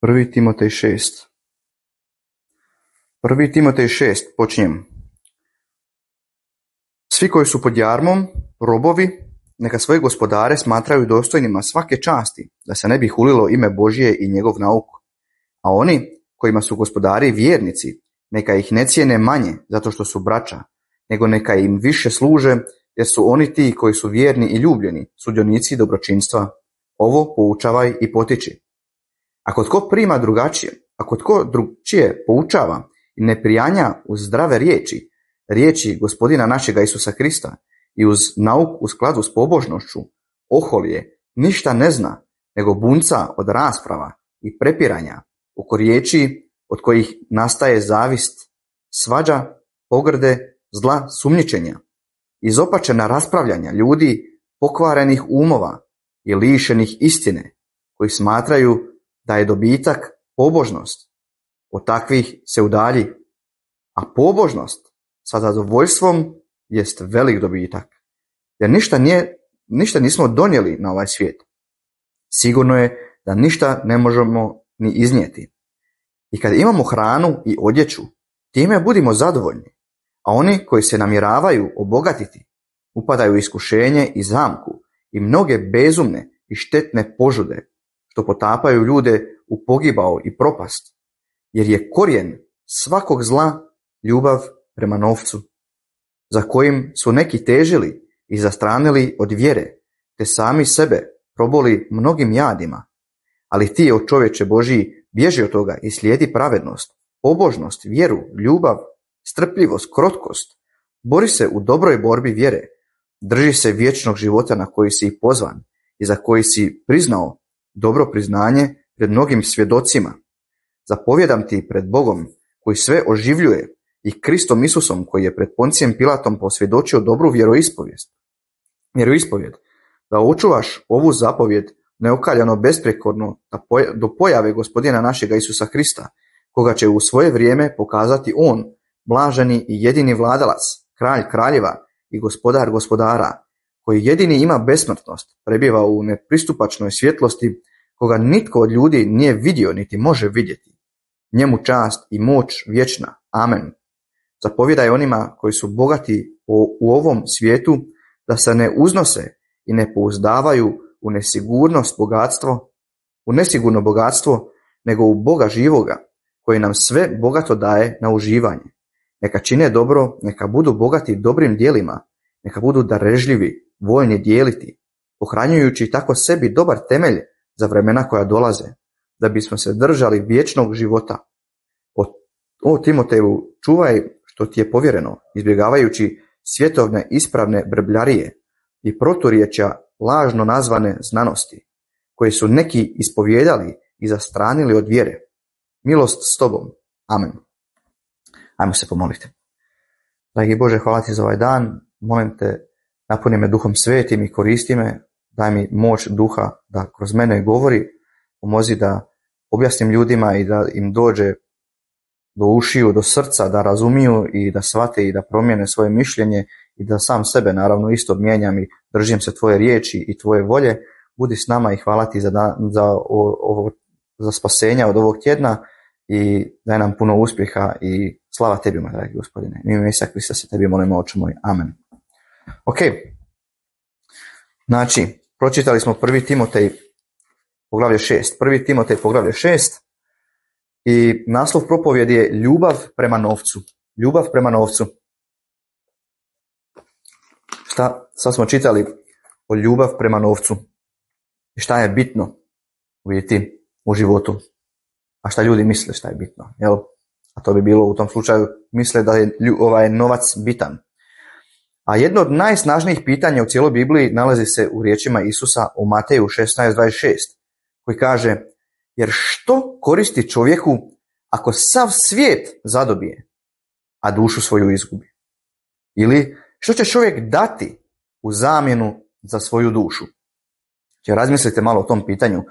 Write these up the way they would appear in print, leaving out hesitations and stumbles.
1. Timotej 6. 1. Timotej 6. Počinjem. Svi koji su pod jarmom, robovi, neka svoje gospodare smatraju dostojnima svake časti, da se ne bi hulilo ime Božje i njegov nauk. A oni kojima su gospodari vjernici, neka ih ne cijene manje zato što su braća, nego neka im više služe, jer su oni ti koji su vjerni i ljubljeni, sudionici dobročinstva. Ovo poučavaj i potiči. Ako tko prima drugačije, ako tko drugčije poučava i ne prijanja uz zdrave riječi Gospodina našega Isusa Krista i uz nauk u skladu s pobožnošću, oholije, ništa ne zna, nego bunca od rasprava i prepiranja, oko riječi od kojih nastaje zavist, svađa, pogrde, zla, sumnjičenja, izopačena raspravljanja ljudi pokvarenih umova i lišenih istine, koji smatraju da je dobitak pobožnost. Od takvih se udalji, a pobožnost sa zadovoljstvom jest velik dobitak. Jer ništa nismo donijeli na ovaj svijet. Sigurno je da ništa ne možemo ni iznijeti. I kad imamo hranu i odjeću, time budimo zadovoljni. A oni koji se namjeravaju obogatiti, upadaju u iskušenje i zamku i mnoge bezumne i štetne požude, što potapaju ljude u pogibao i propast. Jer je korijen svakog zla ljubav prema novcu, za kojim su neki težili i zastranili od vjere, te sami sebe proboli mnogim jadima. Ali ti, o čovječe Božiji, bježi od toga i slijedi pravednost, pobožnost, vjeru, ljubav, strpljivost, krotkost. Bori se u dobroj borbi vjere. Drži se vječnog života na koji si pozvan i za koji si priznao dobro priznanje pred mnogim svjedocima. Zapovjedam ti pred Bogom koji sve oživljuje i Kristom Isusom koji je pred Poncijem Pilatom posvjedočio dobru vjeroispovijed, da očuvaš ovu zapovjed neokaljano besprekorno do pojave Gospodina našega Isusa Krista, koga će u svoje vrijeme pokazati on, blaženi i jedini vladalac, kralj kraljeva i gospodar gospodara, koji jedini ima besmrtnost, prebiva u nepristupačnoj svjetlosti, koga nitko od ljudi nije vidio niti može vidjeti. Njemu čast i moć vječna. Amen. Zapovjedaj onima koji su bogati u ovom svijetu da se ne uznose i ne pouzdavaju u nesigurno bogatstvo, nego u Boga živoga, koji nam sve bogato daje na uživanje. Neka čine dobro, neka budu bogati dobrim djelima, neka budu darežljivi, voljni dijeliti, pohranjujući tako sebi dobar temelj za vremena koja dolaze, da bismo se držali vječnog života. O Timoteju, čuvaj što ti je povjereno, izbjegavajući svjetovne ispravne brbljarije i proturječja lažno nazvane znanosti, koje su neki ispovijedali i zastranili od vjere. Milost s tobom. Amen. Ajmo se pomoliti. Dragi Bože, hvala ti za ovaj dan. Molim te, napuni me Duhom Svetim i koristi me. Daj mi moć Duha da kroz mene govori. Pomozi da objasnim ljudima i da im dođe do ušiju, do srca, da razumiju i da shvate i da promijene svoje mišljenje i da sam sebe naravno isto mijenjam i držim se tvoje riječi i tvoje volje. Budi s nama i hvala ti za spasenja od ovog tjedna i daj nam puno uspjeha i slava tebi, moj dragi Gospodine. U ime Isusa Krista se tebi molimo, Oče moj. Amen. Ok. Znači, pročitali smo 1. Timotej poglavlje 6. 1. Timotej poglavlje 6 i naslov propovjedi je ljubav prema novcu. Ljubav prema novcu. Sad smo čitali o ljubav prema novcu. I šta je bitno u životu. A šta ljudi misle šta je bitno. Jel? A to bi bilo u tom slučaju, misle da je novac bitan. A jedno od najsnažnijih pitanja u cijeloj Bibliji nalazi se u riječima Isusa u Mateju 16:26, koji kaže: jer što koristi čovjeku ako sav svijet zadobije, a dušu svoju izgubi? Ili što će čovjek dati u zamjenu za svoju dušu? Razmislite malo o tom pitanju.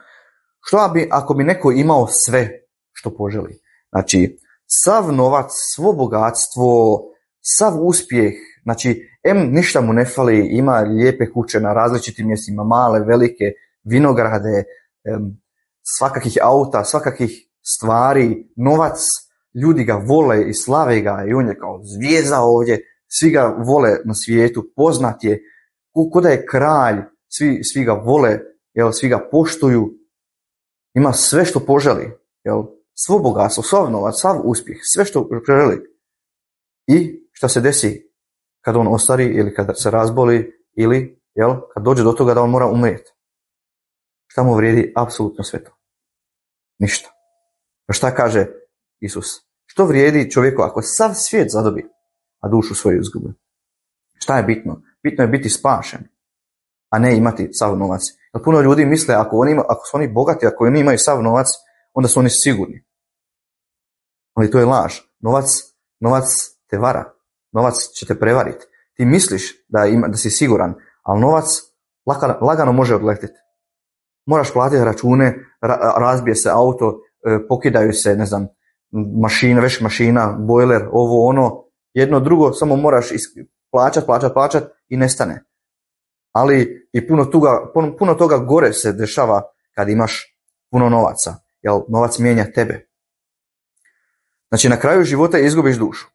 Što bi ako bi neko imao sve što poželi? Znači, sav novac, svo bogatstvo, sav uspjeh, znači, ništa mu ne fali, ima lijepe kuće na različitim mjestima, male, velike, vinograde, svakakih auta, svakakih stvari, novac, ljudi ga vole i slave ga i on je kao zvijezda ovdje, svi ga vole na svijetu, poznat je, ko da je kralj, svi ga vole, svi ga poštuju, ima sve što poželi, svo bogatstvo, sav novac, sav uspjeh, sve što želi. I šta se desi kad on ostari ili kad se razboli ili kad dođe do toga da on mora umrijeti? Šta mu vrijedi apsolutno sve to? Ništa. Pa šta kaže Isus? Što vrijedi čovjeku ako sav svijet zadobi, a dušu svoju izgubi? Šta je bitno? Bitno je biti spašen, a ne imati sav novac. Jer puno ljudi misle ako su oni bogati, ako oni imaju sav novac, onda su oni sigurni. Ali to je laž. Novac te vara. Novac će te prevariti. Ti misliš da si siguran, ali novac lagano može odletiti. Moraš platiti račune, razbije se auto, pokidaju se, ne znam, mašina, bojler, ovo, ono, jedno drugo, samo moraš plaćat i nestane. Ali i puno toga gore se dešava kad imaš puno novaca, jer novac mijenja tebe. Znači na kraju života izgubiš dušu.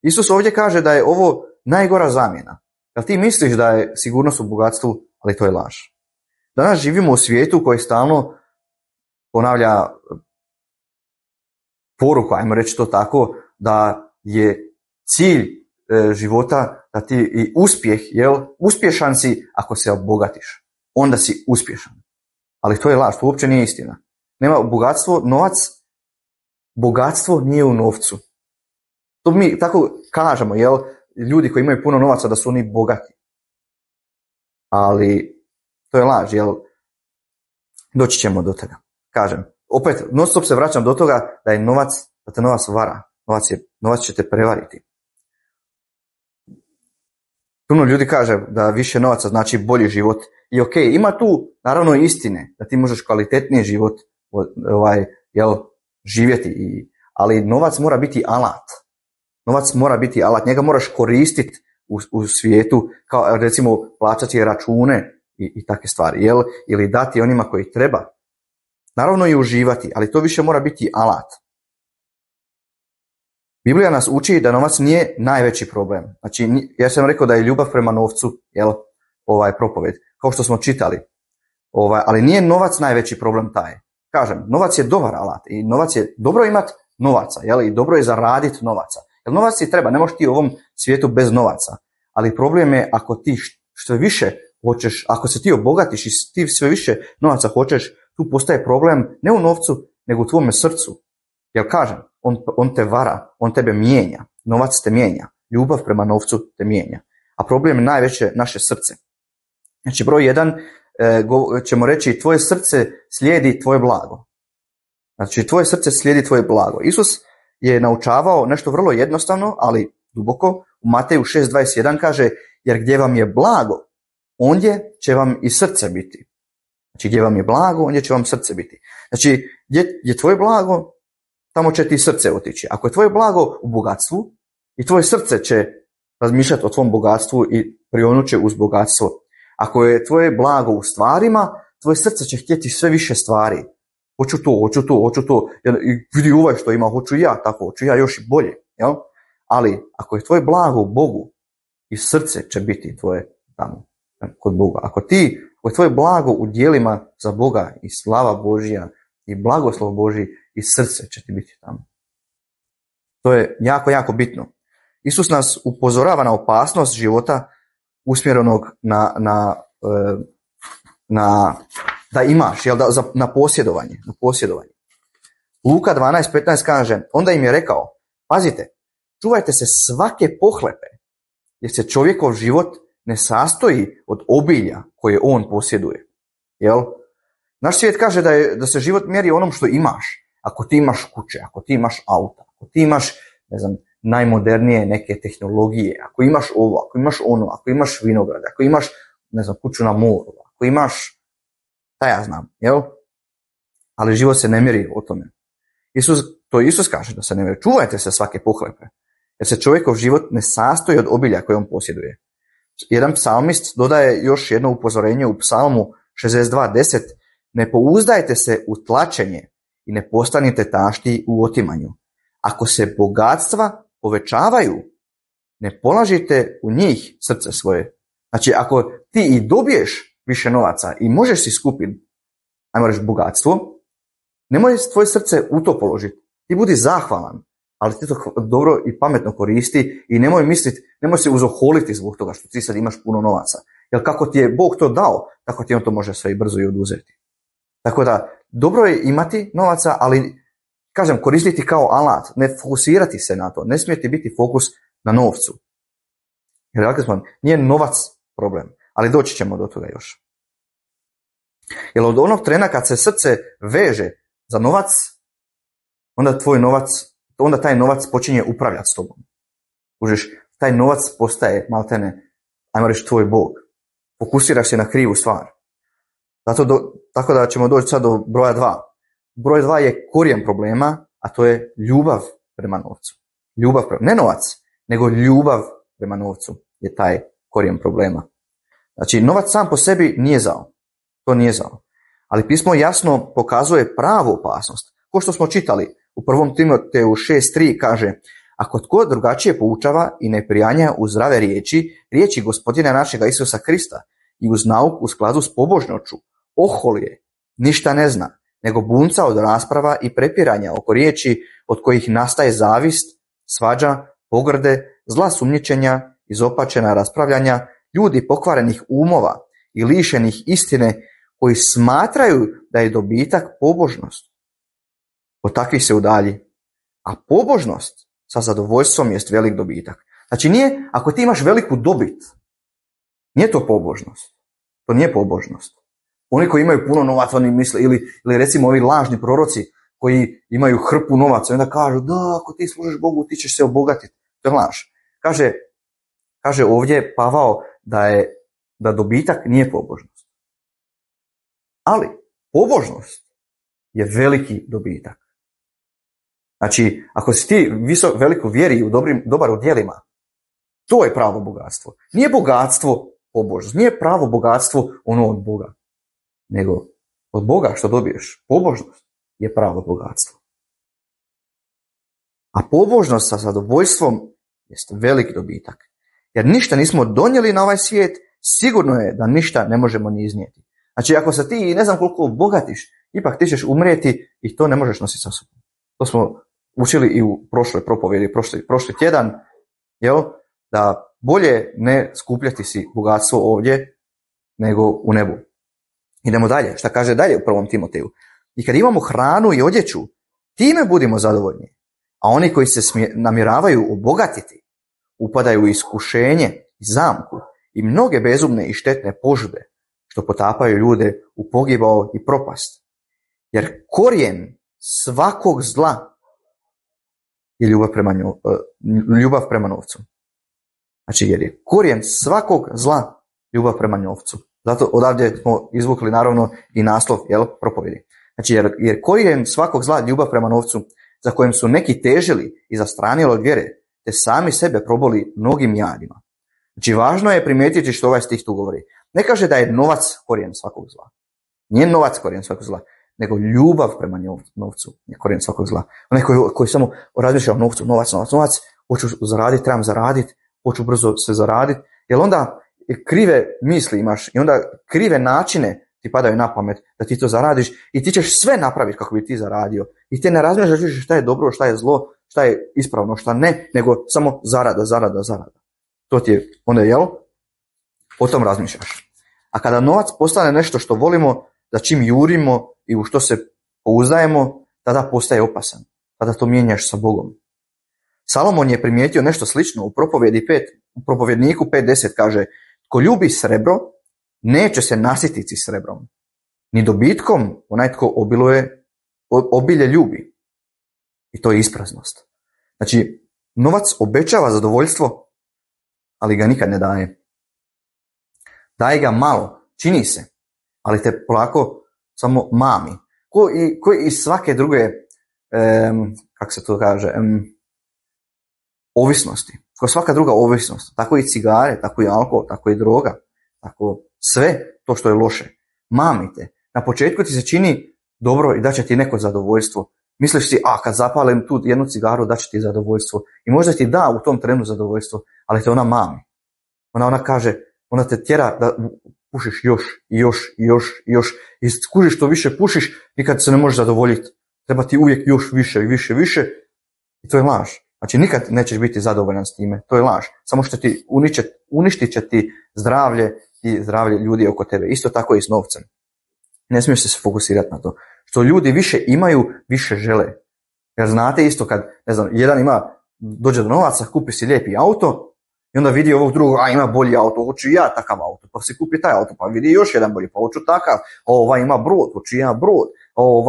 Isus ovdje kaže da je ovo najgora zamjena. Jer ti misliš da je sigurnost u bogatstvu, ali to je laž. Danas živimo u svijetu koji stalno ponavlja poruku, ajmo reći to tako, da je cilj života, da ti i uspjeh, uspješan si ako se obogatiš. Onda si uspješan. Ali to je laž, to uopće nije istina. Nema bogatstvo nije u novcu. To mi tako kažemo, ljudi koji imaju puno novaca da su oni bogati. Ali to je laž, doći ćemo do toga. Kažem, opet, non stop se vraćam do toga da te novac vara. Novac će te prevariti. Puno ljudi kaže da više novaca znači bolji život. I ok, ima tu naravno istine da ti možeš kvalitetniji život živjeti. Ali novac mora biti alat. Novac mora biti alat. Njega moraš koristiti u svijetu, kao recimo plaćati račune i takve stvari. Ili dati onima koji treba. Naravno i uživati, ali to više mora biti alat. Biblija nas uči da novac nije najveći problem. Znači, ja sam rekao da je ljubav prema novcu, propoved, kao što smo čitali. Ali nije novac najveći problem taj. Kažem, novac je dobar alat i novac je dobro imati novaca, i dobro je zaraditi novaca. Jer novac ti treba, ne možeš ti u ovom svijetu bez novaca. Ali problem je ako ti što više hoćeš, ako se ti obogatiš i ti sve više novaca hoćeš, tu postaje problem ne u novcu, nego u tvome srcu. Jer kažem, on te vara, on tebe mijenja, novac te mijenja, ljubav prema novcu te mijenja. A problem je najveće naše srce. Znači broj 1, ćemo reći tvoje srce slijedi tvoje blago. Znači tvoje srce slijedi tvoje blago. Isus je naučavao nešto vrlo jednostavno, ali duboko. U Mateju 6.21 kaže, jer gdje vam je blago, ondje će vam i srce biti. Znači gdje vam je blago, ondje će vam srce biti. Znači gdje je tvoje blago, tamo će ti srce otići. Ako je tvoje blago u bogatstvu, i tvoje srce će razmišljati o tvom bogatstvu i prionut će uz bogatstvo. Ako je tvoje blago u stvarima, tvoje srce će htjeti sve više stvari. Hoću to. I vidi ovaj što ima, hoću ja tako, hoću ja još i bolje. Jel? Ali ako je tvoje blago u Bogu, i srce će biti tvoje tamo, kod Boga. Ako je tvoje blago u djelima za Boga i slava Božja i blagoslov Božji, i srce će ti biti tamo. To je jako, jako bitno. Isus nas upozorava na opasnost života usmjerenog da imaš, na posjedovanje. Luka 12.15 kaže, onda im je rekao, pazite, čuvajte se svake pohlepe, jer se čovjekov život ne sastoji od obilja koje on posjeduje. Jel? Naš svijet kaže da se život mjeri onom što imaš. Ako ti imaš kuće, ako ti imaš auta, ako ti imaš, najmodernije neke tehnologije, ako imaš ovo, ako imaš ono, ako imaš vinograde, ako imaš, kuću na moru, ako imaš, jel? Ali život se ne mjeri o tome. Isus kaže da se ne mjeri. Čuvajte se svake pohlepe, jer se čovjekov život ne sastoji od obilja koje on posjeduje. Jedan psalmist dodaje još jedno upozorenje u psalmu 62.10, ne pouzdajte se u tlačenje i ne postanite tašti u otimanju. Ako se bogatstva povećavaju, ne polažite u njih srce svoje. Znači, ako ti i dobiješ više novaca i možeš si skupiti, ajmo reći, bogatstvo, nemoj tvoje srce u to položiti. Ti budi zahvalan, ali ti to dobro i pametno koristi i nemoj se uzoholiti zbog toga što ti sad imaš puno novaca. Jer kako ti je Bog to dao, tako ti on to može sve i brzo i oduzeti. Tako da, dobro je imati novaca, ali, kažem, koristiti kao alat, ne fokusirati se na to, ne smije ti biti fokus na novcu. Jer, rekli smo, nije novac problem, ali doći ćemo do toga još. Jer od onog trena kad se srce veže za novac, onda taj novac počinje upravljati s tobom. Užiš, taj novac postaje maltene, ajmo reći, tvoj Bog. Fokusiraš se na krivu stvar. Tako da ćemo doći sad do broja 2. Broj 2 je korijen problema, a to je ljubav prema novcu. Ne novac, nego ljubav prema novcu je taj korijen problema. Znači, novac sam po sebi nije zao. To nije zao. Ali pismo jasno pokazuje pravu opasnost. Ko što smo čitali u 1. Timoteju 6.3 kaže: ako tko drugačije poučava i ne prijanja uz zdrave riječi Gospodina našega Isusa Krista i uz nauku u skladu s pobožnošću, ohol je, ništa ne zna, nego bunca od rasprava i prepiranja oko riječi od kojih nastaje zavist, svađa, pogrde, zla sumnjičenja, izopačena raspravljanja, ljudi pokvarenih umova i lišenih istine koji smatraju da je dobitak pobožnost. Od takvih se udalji. A pobožnost sa zadovoljstvom jest velik dobitak. Znači nije, ako ti imaš veliku dobit, nije to pobožnost. To nije pobožnost. Oni koji imaju puno novaca, oni misle, ili recimo ovi lažni proroci koji imaju hrpu novaca, onda kažu, da, ako ti služiš Bogu, ti ćeš se obogatiti. To je laž. Kaže ovdje Pavao da dobitak nije pobožnost. Ali pobožnost je veliki dobitak. Znači, ako si ti veliko vjeri i dobar u djelima, to je pravo bogatstvo. Nije bogatstvo pobožnost, nije pravo bogatstvo ono od Boga, nego od Boga što dobiješ. Pobožnost je pravo bogatstvo. A pobožnost sa zadovoljstvom jest velik dobitak. Jer ništa nismo donijeli na ovaj svijet, sigurno je da ništa ne možemo ni iznijeti. Znači, ako se ti ne znam koliko bogatiš, ipak ti ćeš umrijeti i to ne možeš nositi sa sobom. To smo učili i u prošloj propovjedi, prošli tjedan, da bolje ne skupljati si bogatstvo ovdje nego u nebu. Idemo dalje. Šta kaže dalje u 1. Timoteju? I kad imamo hranu i odjeću, time budimo zadovoljni. A oni koji se namjeravaju obogatiti, upadaju u iskušenje i zamku i mnoge bezumne i štetne požude, što potapaju ljude u pogibao i propast. Jer korijen svakog zla je ljubav prema novcu. Znači, jer je korijen svakog zla ljubav prema novcu. Zato odavdje smo izvukli naravno i naslov propovjedi. Znači, jer korijen svakog zla ljubav prema novcu, za kojim su neki težili i zastranili od vjere, te sami sebe proboli mnogim jadima. Znači, važno je primijetiti što ovaj stih tu govori. Ne kaže da je novac korijen svakog zla. Nije novac korijen svakog zla, nego ljubav prema novcu je korijen svakog zla. Onaj koji samo razmišlja o novcu, novac, hoću zaraditi, trebam zaraditi, hoću brzo se zaraditi, jer onda krive misli imaš i onda krive načine ti padaju na pamet da ti to zaradiš i ti ćeš sve napraviti kako bi ti zaradio. I ti ne razmišljaš više šta je dobro, šta je zlo, šta je ispravno, šta ne, nego samo zarada. To ti je onda, o tom razmišljaš. A kada novac postane nešto što volimo, za čim jurimo i u što se pouzdajemo, tada postaje opasan. Tada to mijenjaš sa Bogom. Salomon je primijetio nešto slično u propovjedniku 5.10 kaže: tko ljubi srebro, neće se nasititi srebrom. Ni dobitkom onaj tko obilje ljubi. I to je ispraznost. Znači, novac obećava zadovoljstvo, ali ga nikad ne daje. Daje ga malo, čini se, ali te polako samo mami. Ko i svake druge, kako se to kaže, ovisnosti. Ko svaka druga ovisnost. Tako i cigare, tako i alkohol, tako i droga. Tako sve to što je loše. Mamite. Na početku ti se čini dobro i da će ti neko zadovoljstvo. Misliš si, kad zapalim tu jednu cigaru, da će ti zadovoljstvo. I možda ti da u tom trenu zadovoljstvo, ali te ona mami. Ona kaže, ona te tjera da pušiš još. I skužiš što više pušiš, nikad se ne možeš zadovoljiti. Treba ti uvijek još više. I to je laž. Znači nikad nećeš biti zadovoljan s time. To je laž. Samo što ti uništit će ti zdravlje i zdravlje ljudi oko tebe. Isto tako i s novcem. Ne smiješ se fokusirati na to. Što ljudi više imaju, više žele. Jer znate isto kad, ne znam, jedan dođe do novaca, kupi si lijepi auto i onda vidi ovog drugog, ima bolji auto, hoću i ja takav auto, pa si kupi taj auto, pa vidi još jedan bolji, pa hoću takav, ima brod, hoću ja brod,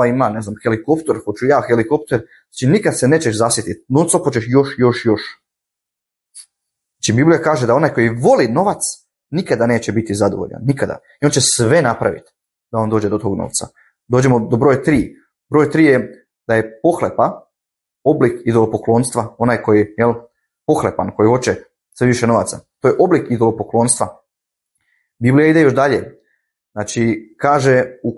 ima, ne znam, helikopter, hoću ja helikopter. Znači nikad se nećeš zasjetiti, non stop hoćeš još. Znači Biblija kaže da onaj koji voli novac nikada neće biti zadovoljan, nikada. I on će sve napraviti da on dođe do tog novca. Dođemo do broja 3. Broj 3 je da je pohlepa oblik idolopoklonstva, onaj koji je pohlepan, koji hoće sve više novaca. To je oblik idolopoklonstva. Biblija ide još dalje. Znači, kaže u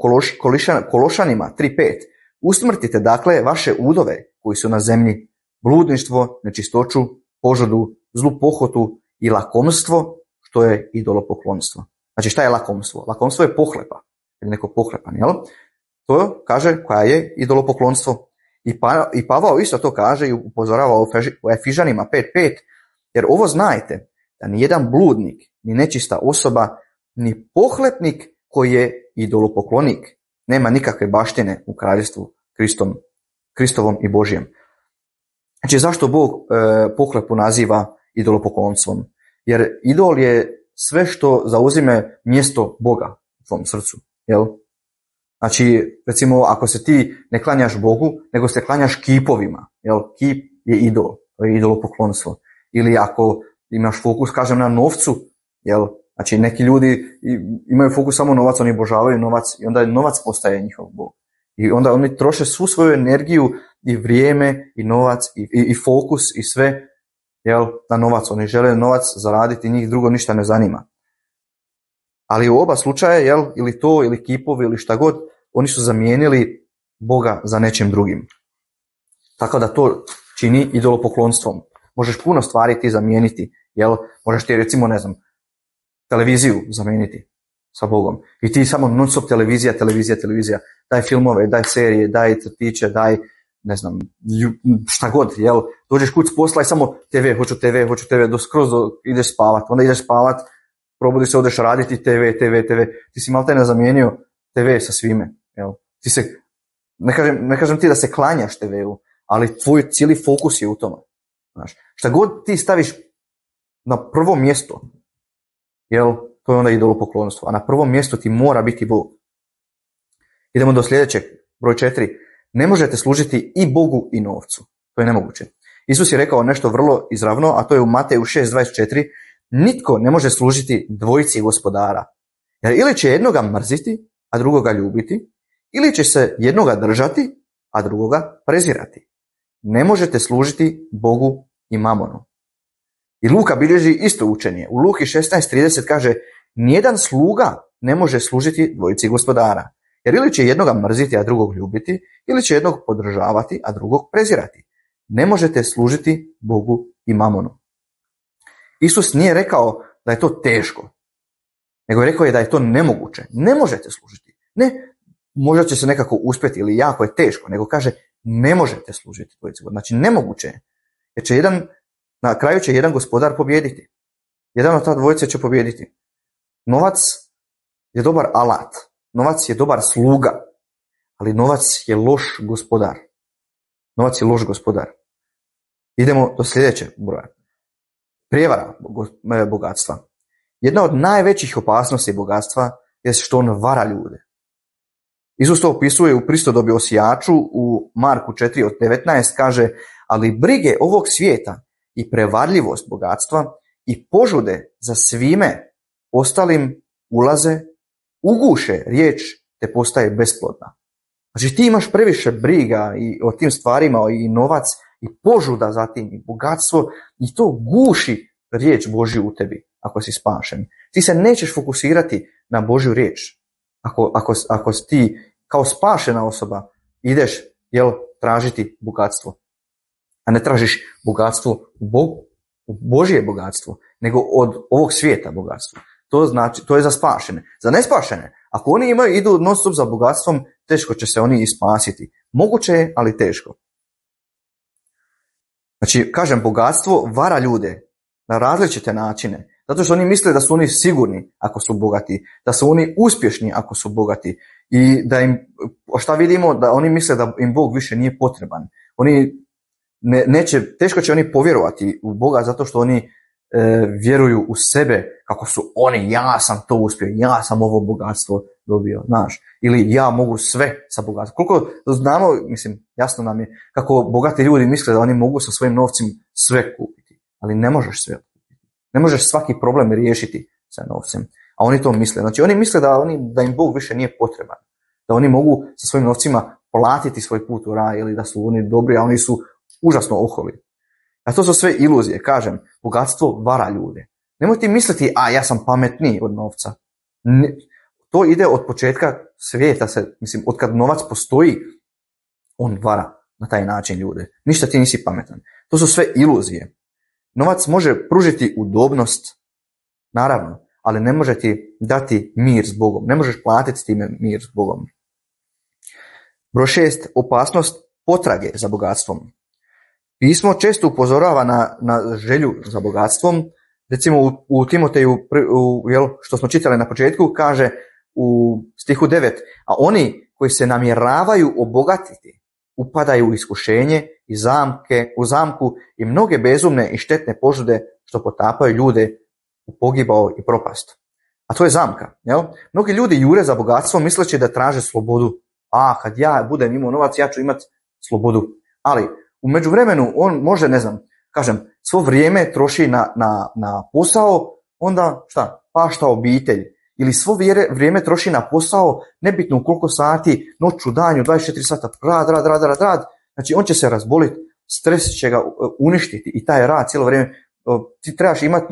Kološanima 3.5: usmrtite dakle vaše udove koji su na zemlji, bludništvo, nečistoću, požudu, zlu pohotu i lakomstvo, što je idolopoklonstvo. Znači, šta je lakomstvo? Lakomstvo je pohlepa. Ili neko pohlepan, jel? To kaže koja je idolopoklonstvo. I Pavao isto to kaže i upozorava u Efižanima 5.5: jer ovo znajte, da ni jedan bludnik, ni nečista osoba, ni pohlepnik koji je idolopoklonik nema nikakve baštine u kraljestvu Kristovom i Božjem. Znači zašto Bog pohlepu naziva idolopoklonstvom? Jer idol je sve što zauzime mjesto Boga u tvom srcu, jel? Znači, recimo, ako se ti ne klanjaš Bogu, nego se klanjaš kipovima, jel? Kip je idol, to je idolopoklonstvo. Ili ako imaš fokus, kažem, na novcu, jel? Znači, neki ljudi imaju fokus samo novac, oni obožavaju novac i onda novac postaje njihov Bog. I onda oni troše svu svoju energiju i vrijeme i novac i fokus i sve, jel, na novac. Oni žele novac zaraditi, njih drugo ništa ne zanima. Ali u oba slučaja, jel, ili to, ili kipovi, ili šta god, oni su zamijenili Boga za nečim drugim. Tako da to čini idolopoklonstvom. Možeš puno stvari ti zamijeniti, jel, možeš ti recimo, ne znam, televiziju zamijeniti sa Bogom. I ti samo non stop televizija, daj filmove, daj serije, daj crtiće, daj, ne znam, šta god, jel, dođeš kuć s posla i samo hoću TV, ideš spavat, onda ideš spavat, probudi se, odeš raditi TV, ti si malo ne zamijenio TV sa svime, jel, ti se, ne kažem ti da se klanjaš TV-u, ali tvoj cijeli fokus je u tome, znaš, šta god ti staviš na prvo mjesto, jel, to je onda idolopoklonstvo, a na prvom mjestu ti mora biti Bog. Idemo do sljedećeg, broj 4. Ne možete služiti i Bogu i novcu. To je nemoguće. Isus je rekao nešto vrlo izravno, a to je u Mateju 6.24. Nitko ne može služiti dvojici gospodara. Jer ili će jednoga mrziti, a drugoga ljubiti, ili će se jednoga držati, a drugoga prezirati. Ne možete služiti Bogu i mamonu. I Luka bilježi isto učenje. U Luki 16.30 kaže: nijedan sluga ne može služiti dvojici gospodara. Jer ili će jednoga mrziti, a drugog ljubiti, ili će jednog podržavati, a drugog prezirati. Ne možete služiti Bogu i mamonu. Isus nije rekao da je to teško, nego je rekao da je to nemoguće. Ne možete služiti. Ne, možda će se nekako uspjeti ili jako je teško, nego kaže ne možete služiti dvojici gospodara. Znači nemoguće je. Jer će na kraju će jedan gospodar pobijediti. Jedan od ta dvojice će pobijediti. Novac je dobar alat. Novac je dobar sluga. Ali novac je loš gospodar. Novac je loš gospodar. Idemo do sljedećeg broja. Prijevara bogatstva. Jedna od najvećih opasnosti bogatstva je što on vara ljude. Isus to opisuje u pristodobi o sijaču u Marku 4.19, kaže: ali brige ovog svijeta i prevarljivost bogatstva i požude za svime ostalim ulaze, uguše riječ te postaje besplodna. Znači ti imaš previše briga i o tim stvarima i novac i požuda za tim i bogatstvo i to guši riječ Božju u tebi ako si spašen. Ti se nećeš fokusirati na Božju riječ ako si ti kao spašena osoba ideš tražiti bogatstvo, a ne tražiš bogatstvo u Bogu, u Božje bogatstvo, nego od ovog svijeta bogatstvo. To znači, to je za spašene. Za nespašene, ako oni idu non stop za bogatstvom, teško će se oni ispasiti. Moguće je, ali teško. Znači, kažem, bogatstvo vara ljude na različite načine. Zato što oni misle da su oni sigurni ako su bogati, da su oni uspješni ako su bogati i da im, šta vidimo, da oni misle da im Bog više nije potreban. Oni teško će oni povjerovati u Boga zato što oni vjeruju u sebe kako su oni, ja sam to uspio, ja sam ovo bogatstvo dobio, znaš, ili ja mogu sve sa bogatstvom. Koliko znamo, mislim, jasno nam je kako bogati ljudi misle da oni mogu sa svojim novcem sve kupiti, ali ne možeš sve kupiti. Ne možeš svaki problem riješiti sa novcem, a oni to misle. Znači oni misle da im Bog više nije potreban, da oni mogu sa svojim novcima platiti svoj put u raj ili da su oni dobri, a oni su užasno oholi. A to su sve iluzije, kažem, bogatstvo vara ljude. Nemoj ti misliti, ja sam pametniji od novca. Ne, to ide od početka svijeta, od kad novac postoji, on vara na taj način ljude. Ništa ti nisi pametan. To su sve iluzije. Novac može pružiti udobnost, naravno, ali ne može ti dati mir s Bogom. Ne možeš platiti time mir s Bogom. Broj 6. Opasnost potrage za bogatstvom. Pismo često upozorava na želju za bogatstvom. Recimo u Timoteju, što smo čitali na početku, kaže u stihu 9, a oni koji se namjeravaju obogatiti upadaju u iskušenje i u zamku i mnoge bezumne i štetne požude što potapaju ljude u pogibao i propast. A to je zamka. Mnogi ljudi jure za bogatstvo misleći da traže slobodu. Kad ja budem imao novac, ja ću imati slobodu. Ali u međuvremenu on može, svo vrijeme troši na posao, onda pašta obitelj. Ili svo vrijeme troši na posao, nebitno u koliko sati, noću, danju, 24 sata, rad. Znači on će se razboliti, stres će ga uništiti i taj rad cijelo vrijeme. Ti trebaš imati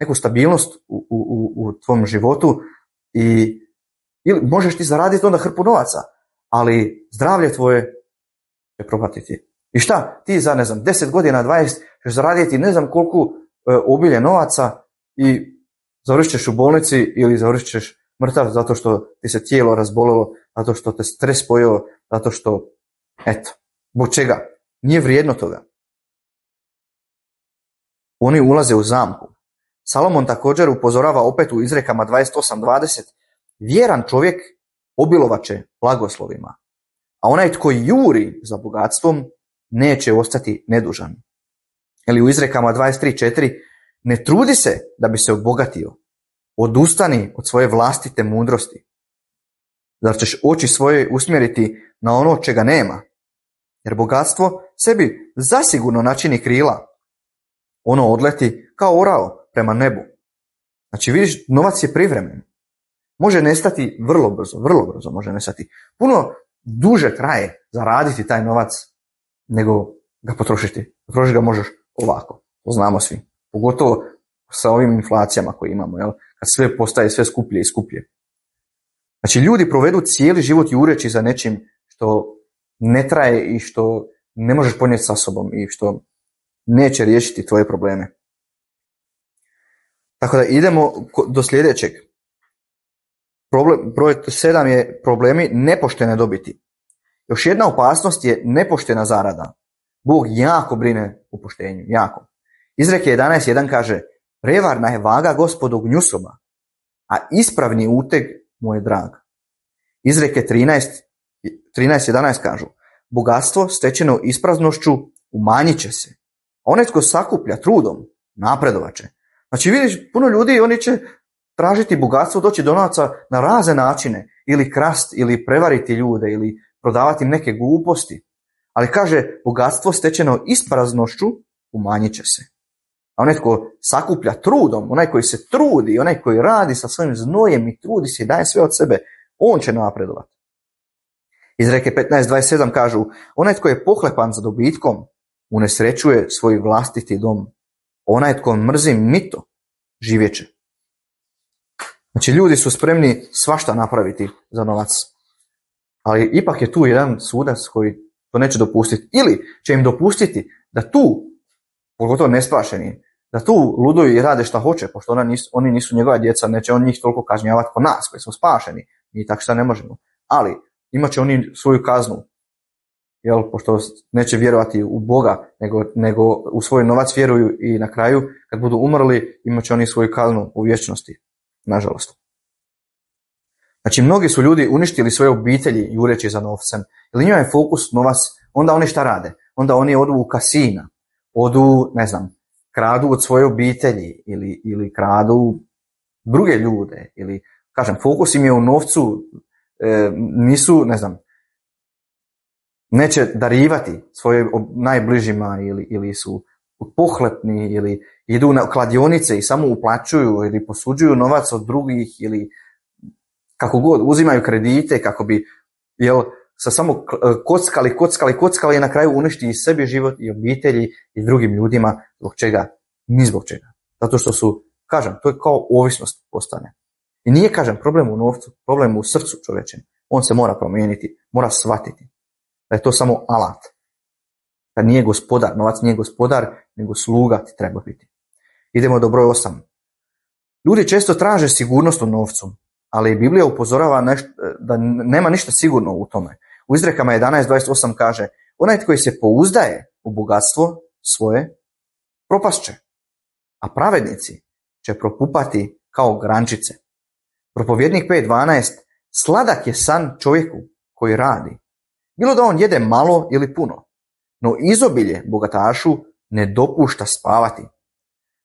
neku stabilnost u tvom životu ili možeš ti zaraditi onda hrpu novaca, ali zdravlje tvoje će propatiti. I šta? Ti za 10 godina, 20 ćeš zaraditi ne znam koliko obilje novaca i završit ćeš u bolnici ili završit ćeš mrtav zato što ti se tijelo razbolilo, zato što te stres pojeo, zato što, zbog čega? Nije vrijedno toga. Oni ulaze u zamku. Salomon također upozorava opet u izrekama 28:20. Vjeran čovjek obilovaće blagoslovima, a onaj tko juri za bogatstvom neće ostati nedužan. Ili u izrekama 23:4. Ne trudi se da bi se obogatio, odustani od svoje vlastite mudrosti. Zar ćeš oči svoje usmjeriti na ono čega nema? Jer bogatstvo sebi zasigurno načini krila. Ono odleti kao orao prema nebu. Znači vidiš, novac je privremen. Može nestati vrlo brzo može nestati. Puno duže traje zaraditi taj novac nego ga potrošiti. Potrošiti ga možeš ovako, to znamo svi. Pogotovo sa ovim inflacijama koje imamo, kad sve postaje sve skuplje i skuplje. Znači ljudi provedu cijeli život jureći za nečim što ne traje i što ne možeš ponijeti sa sobom i što neće riješiti tvoje probleme. Tako da idemo do sljedećeg. Broj 7 je problemi nepoštene dobiti. Još jedna opasnost je nepoštena zarada. Bog jako brine o poštenju, jako. Izreke 11:1 kaže: prevarna je vaga Gospodu gnjusoba, a ispravni uteg mu je drag. Izreke 13:11 kažu: bogatstvo stečeno ispraznošću umanjit će se, a onaj tko sakuplja trudom napredovat će. Znači vidiš, puno ljudi, oni će tražiti bogatstvo, doći do novaca na razne načine, ili krast, ili prevariti ljude, ili prodavati im neke gluposti. Ali kaže, bogatstvo stečeno ispraznošću umanjit će se. A onaj tko sakuplja trudom, onaj koji se trudi, onaj koji radi sa svojim znojem i trudi se i daje sve od sebe, on će napredovati. Izreke 15:27 kažu: onaj tko je pohlepan za dobitkom, unesrećuje svoj vlastiti dom. Onaj tko mrzi mito, živjet će. Znači, ljudi su spremni svašta napraviti za novac. Ali ipak je tu jedan sudac koji to neće dopustiti. Ili će im dopustiti da tu, pogotovo nespašeni, da tu luduju i rade šta hoće, pošto oni nisu njegova djeca, neće on njih toliko kažnjavati ko nas koji smo spašeni. Mi tako šta ne možemo. Ali imat će oni svoju kaznu. Pošto neće vjerovati u Boga, nego u svoj novac vjeruju i na kraju, kad budu umrli, imat će oni svoju kaznu u vječnosti. Nažalost. Znači, mnogi su ljudi uništili svoje obitelji jureći za novcem. Jer njima je fokus novac, onda oni šta rade? Onda oni odu u kasina, odu, kradu od svoje obitelji ili kradu druge ljude. Ili, kažem, fokus im je u novcu, nisu, neće darivati svoje najbližima ili su pohlepni ili idu na kladionice i samo uplaćuju ili posuđuju novac od drugih ili kako god, uzimaju kredite kako bi sa samo kockali i na kraju uništi i sebi život i obitelji i drugim ljudima. Zbog čega? Ni zbog čega. Zato što su, kažem, to je kao ovisnost postane. I nije, kažem, problem u novcu, problem u srcu čovječem. On se mora promijeniti, mora shvatiti da je to samo alat. Da nije gospodar, novac nije gospodar, nego sluga ti treba biti. Idemo do broj 8. Ljudi često traže sigurnost u novcu, ali Biblija upozorava da nema ništa sigurno u tome. U Izrekama 11.28 kaže: onaj koji se pouzdaje u bogatstvo svoje, propast će, a pravednici će propupati kao grančice. Propovjednik 5.12: sladak je san čovjeku koji radi, bilo da on jede malo ili puno, no izobilje bogatašu ne dopušta spavati.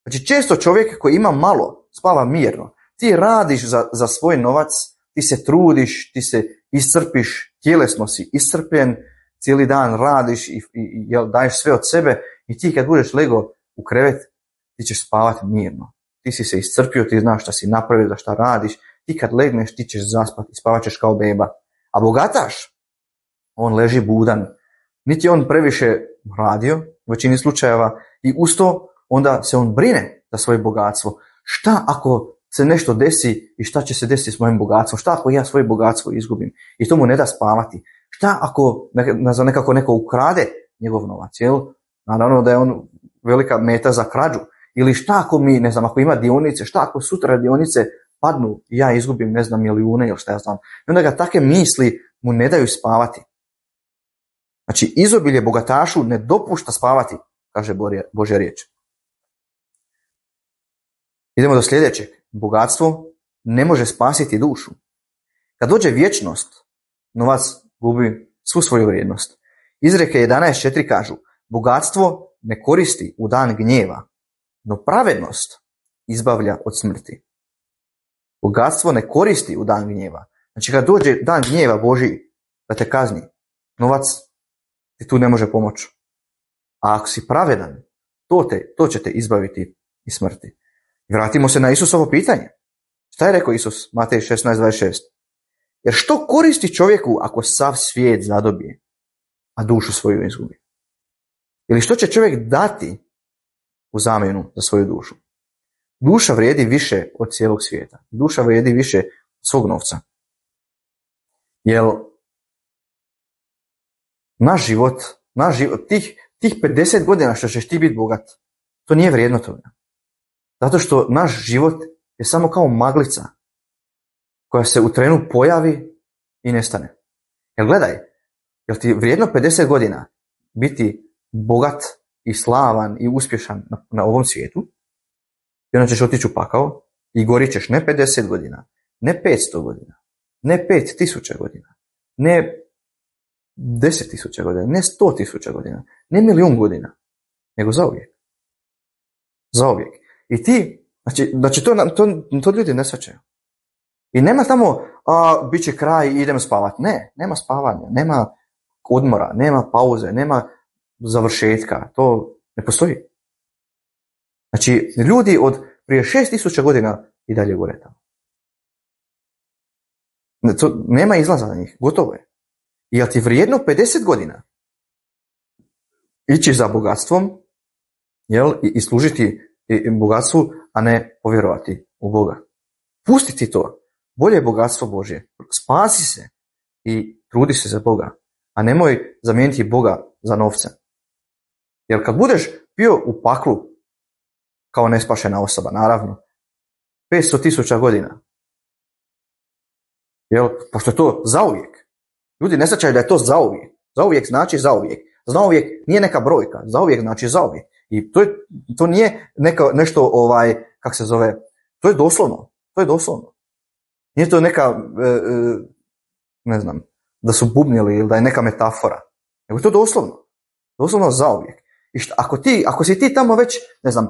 Znači, često čovjek koji ima malo spava mirno. Ti radiš za svoj novac, ti se trudiš, ti se iscrpiš, tjelesno si iscrpljen, cijeli dan radiš i daješ sve od sebe i ti kad budeš lego u krevet, ti ćeš spavati mirno. Ti si se iscrpio, ti znaš šta si napravio, za šta radiš, ti kad legneš ti ćeš zaspati, spavat ćeš kao beba. A bogataš, on leži budan, niti on previše radio u većini slučajeva i uz to onda se on brine za svoje bogatstvo. Šta ako se nešto desi i šta će se desiti s mojim bogatstvom? Šta ako ja svoje bogatstvo izgubim? I to mu ne da spavati. Šta ako nekako neko ukrade njegov novac? Naravno da je on velika meta za krađu. Ili šta ako ako ima dionice, šta ako sutra dionice padnu i ja izgubim, milijune ili šta ja znam. I onda ga take misli mu ne daju spavati. Znači, izobilje bogatašu ne dopušta spavati, kaže Božja riječ. Idemo do sljedećeg. Bogatstvo ne može spasiti dušu. Kad dođe vječnost, novac gubi svu svoju vrijednost. Izreke 11.4 kažu: bogatstvo ne koristi u dan gnjeva, no pravednost izbavlja od smrti. Bogatstvo ne koristi u dan gnjeva. Znači, kad dođe dan gnjeva Božji da te kazni, novac ti tu ne može pomoći. A ako si pravedan, to će te izbaviti iz smrti. Vratimo se na Isusovo pitanje. Šta je rekao Isus? Matej 16.26. Jer što koristi čovjeku ako sav svijet zadobije, a dušu svoju izgubi? Ili što će čovjek dati u zamjenu za svoju dušu? Duša vrijedi više od cijelog svijeta. Duša vrijedi više od svog novca. Jer naš život, tih 50 godina što ćeš ti biti bogat, to nije vrijedno toga. Zato što naš život je samo kao maglica koja se u trenu pojavi i nestane. Jer gledaj, jel ti vrijedno 50 godina biti bogat i slavan i uspješan na ovom svijetu i onda ćeš otići u pakao i gorit ćeš ne 50 godina, ne 500 godina, ne 5000 godina, ne 10.000 godina, ne 100.000 godina, ne 1.000.000 godina, nego zauvijek. Zauvijek. I ti, znači to ljudi ne shvaćaju. I nema tamo, bit će kraj i idem spavat. Ne, nema spavanja, nema odmora, nema pauze, nema završetka. To ne postoji. Znači, ljudi od prije 6.000 godina i dalje gore tamo. Nema izlaza na njih, gotovo je. I jel ti vrijedno 50 godina ići za bogatstvom, i služiti bogatstvu, a ne povjerovati u Boga? Pusti ti to. Bolje je bogatstvo Božje. Spasi se i trudi se za Boga. A nemoj zamijeniti Boga za novce. Jer kad budeš bio u paklu kao nespašena osoba, naravno, 500.000 godina, jel, pošto je to zauvijek. Ljudi ne shvaćaju da je to zauvijek. Zauvijek znači zauvijek. Zauvijek nije neka brojka. Zauvijek znači zauvijek. I to nije nešto, kako se zove, to je doslovno. To je doslovno. Nije to neka, ne znam, da su bubnjeli ili da je neka metafora. Nego to je doslovno. Doslovno zauvijek. I ako si ti tamo već, ne znam,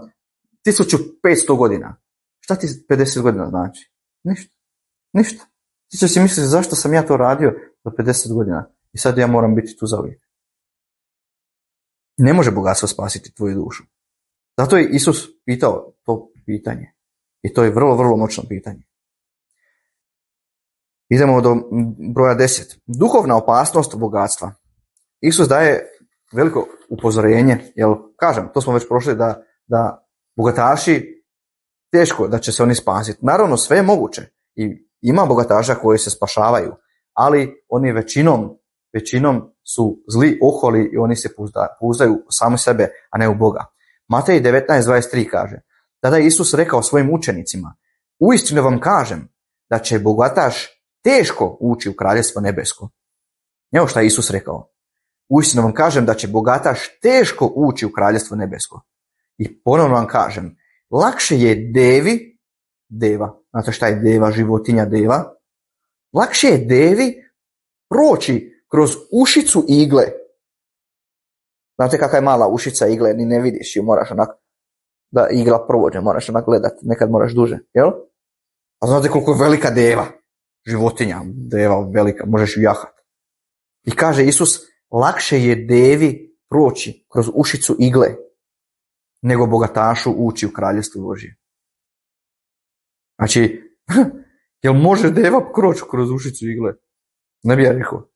1500 godina, šta ti 50 godina znači? Ništa. Ti će si misliti zašto sam ja to radio do 50 godina i sad ja moram biti tu zauvijek. Ne može bogatstvo spasiti tvoju dušu. Zato je Isus pitao to pitanje. I to je vrlo, vrlo moćno pitanje. Idemo do broja 10. Duhovna opasnost bogatstva. Isus daje veliko upozorenje, jer kažem, to smo već prošli da bogataši teško da će se oni spasiti. Naravno, sve je moguće i ima bogataša koji se spašavaju, ali oni većinom su zli, oholi i oni se pouzdaju u sami sebe, a ne u Boga. Matej 19:23 kaže: tada je Isus rekao svojim učenicima: uistinu vam kažem da će bogataš teško ući u kraljevstvo nebesko. Evo šta je Isus rekao. Uistinu vam kažem da će bogataš teško ući u kraljevstvo nebesko. I ponovno vam kažem, lakše je deva, znate šta je deva, životinja deva, lakše je devi proći kroz ušicu igle. Znate kakva je mala ušica igle, ni ne vidiš ju, moraš onak, da igla prođe, moraš onak gledati, nekad moraš duže, jel? A znate koliko je velika deva, životinja, deva velika, možeš ju jahati. I kaže Isus, lakše je devi proći kroz ušicu igle, nego bogatašu ući u kraljevstvo Božje. Znači, jel može deva proći kroz ušicu igle? Ne bi ja rekao.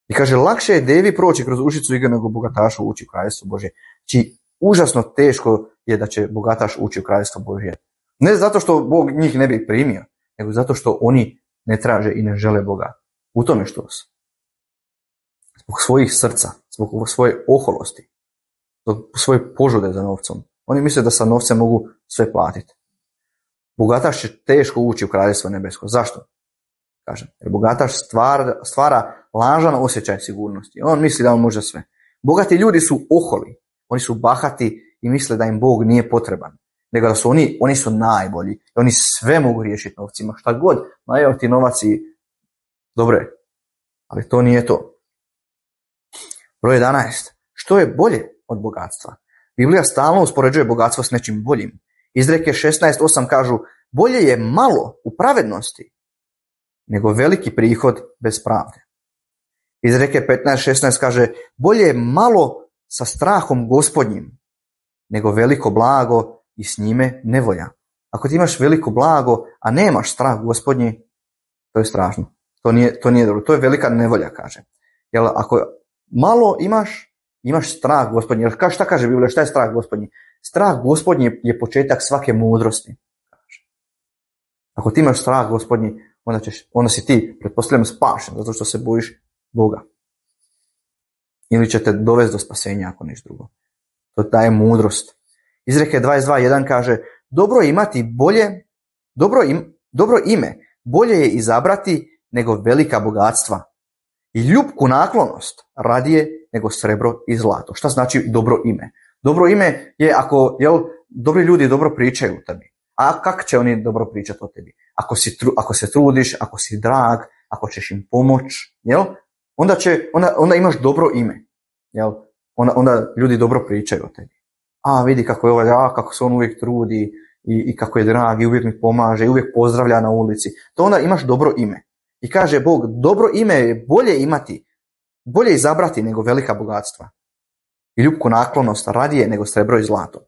I kaže, lakše je devi proći kroz ušicu igle nego bogatašu ući u kraljevstvo Božje. Znači, užasno teško je da će bogataš ući u kraljevstvo Božje. Ne zato što Bog njih ne bi primio, nego zato što oni ne traže i ne žele Boga. U tome što su. Zbog svojih srca, zbog svoje oholosti, zbog svoje požude za novcom. Oni misle da sa novcem mogu sve platiti. Bogataš će teško ući u kraljevstvo nebesko. Zašto? Kažem, jer bogataš stvara lažan osjećaj sigurnosti. On misli da on može sve. Bogati ljudi su oholi. Oni su bahati i misle da im Bog nije potreban. Nego da su oni su najbolji. I oni sve mogu riješiti novcima. Šta god. Ma evo ti novac i dobro je. Ali to nije to. Broj 11. Što je bolje od bogatstva? Biblija stalno uspoređuje bogatstvo s nečim boljim. Izreke 16:8 kažu, bolje je malo u pravednosti nego veliki prihod bez pravde. Izreke 15:16 kaže, bolje je malo sa strahom Gospodnjim nego veliko blago i s njime nevolja. Ako ti imaš veliko blago, a nemaš strah Gospodnji, to je strašno. To nije dobro. To je velika nevolja, kaže. Jer ako malo imaš strah Gospodnji. Jer šta kaže Biblija? Šta je strah Gospodnji? Strah Gospodnji je početak svake mudrosti. Ako ti imaš strah Gospodnji, onda si ti, pretpostavljam, spašen, zato što se bojiš Boga. Ili će te dovesti do spasenja, ako ništa drugo. To daje mudrost. Izreke 22:1 kaže, dobro ime bolje je izabrati nego velika bogatstva. I ljubku naklonost radije nego srebro i zlato. Šta znači dobro ime? Dobro ime je ako dobri ljudi dobro pričaju o tebi. A kako će oni dobro pričati o tebi? Ako se trudiš, ako si drag, ako ćeš im pomoć, onda imaš dobro ime. Onda ljudi dobro pričaju o tebi. A vidi kako je kako se on uvijek trudi i kako je drag i uvijek mi pomaže i uvijek pozdravlja na ulici. To onda imaš dobro ime. I kaže Bog, dobro ime je bolje izabrati nego velika bogatstva. I ljubku naklonost radije nego srebro i zlato.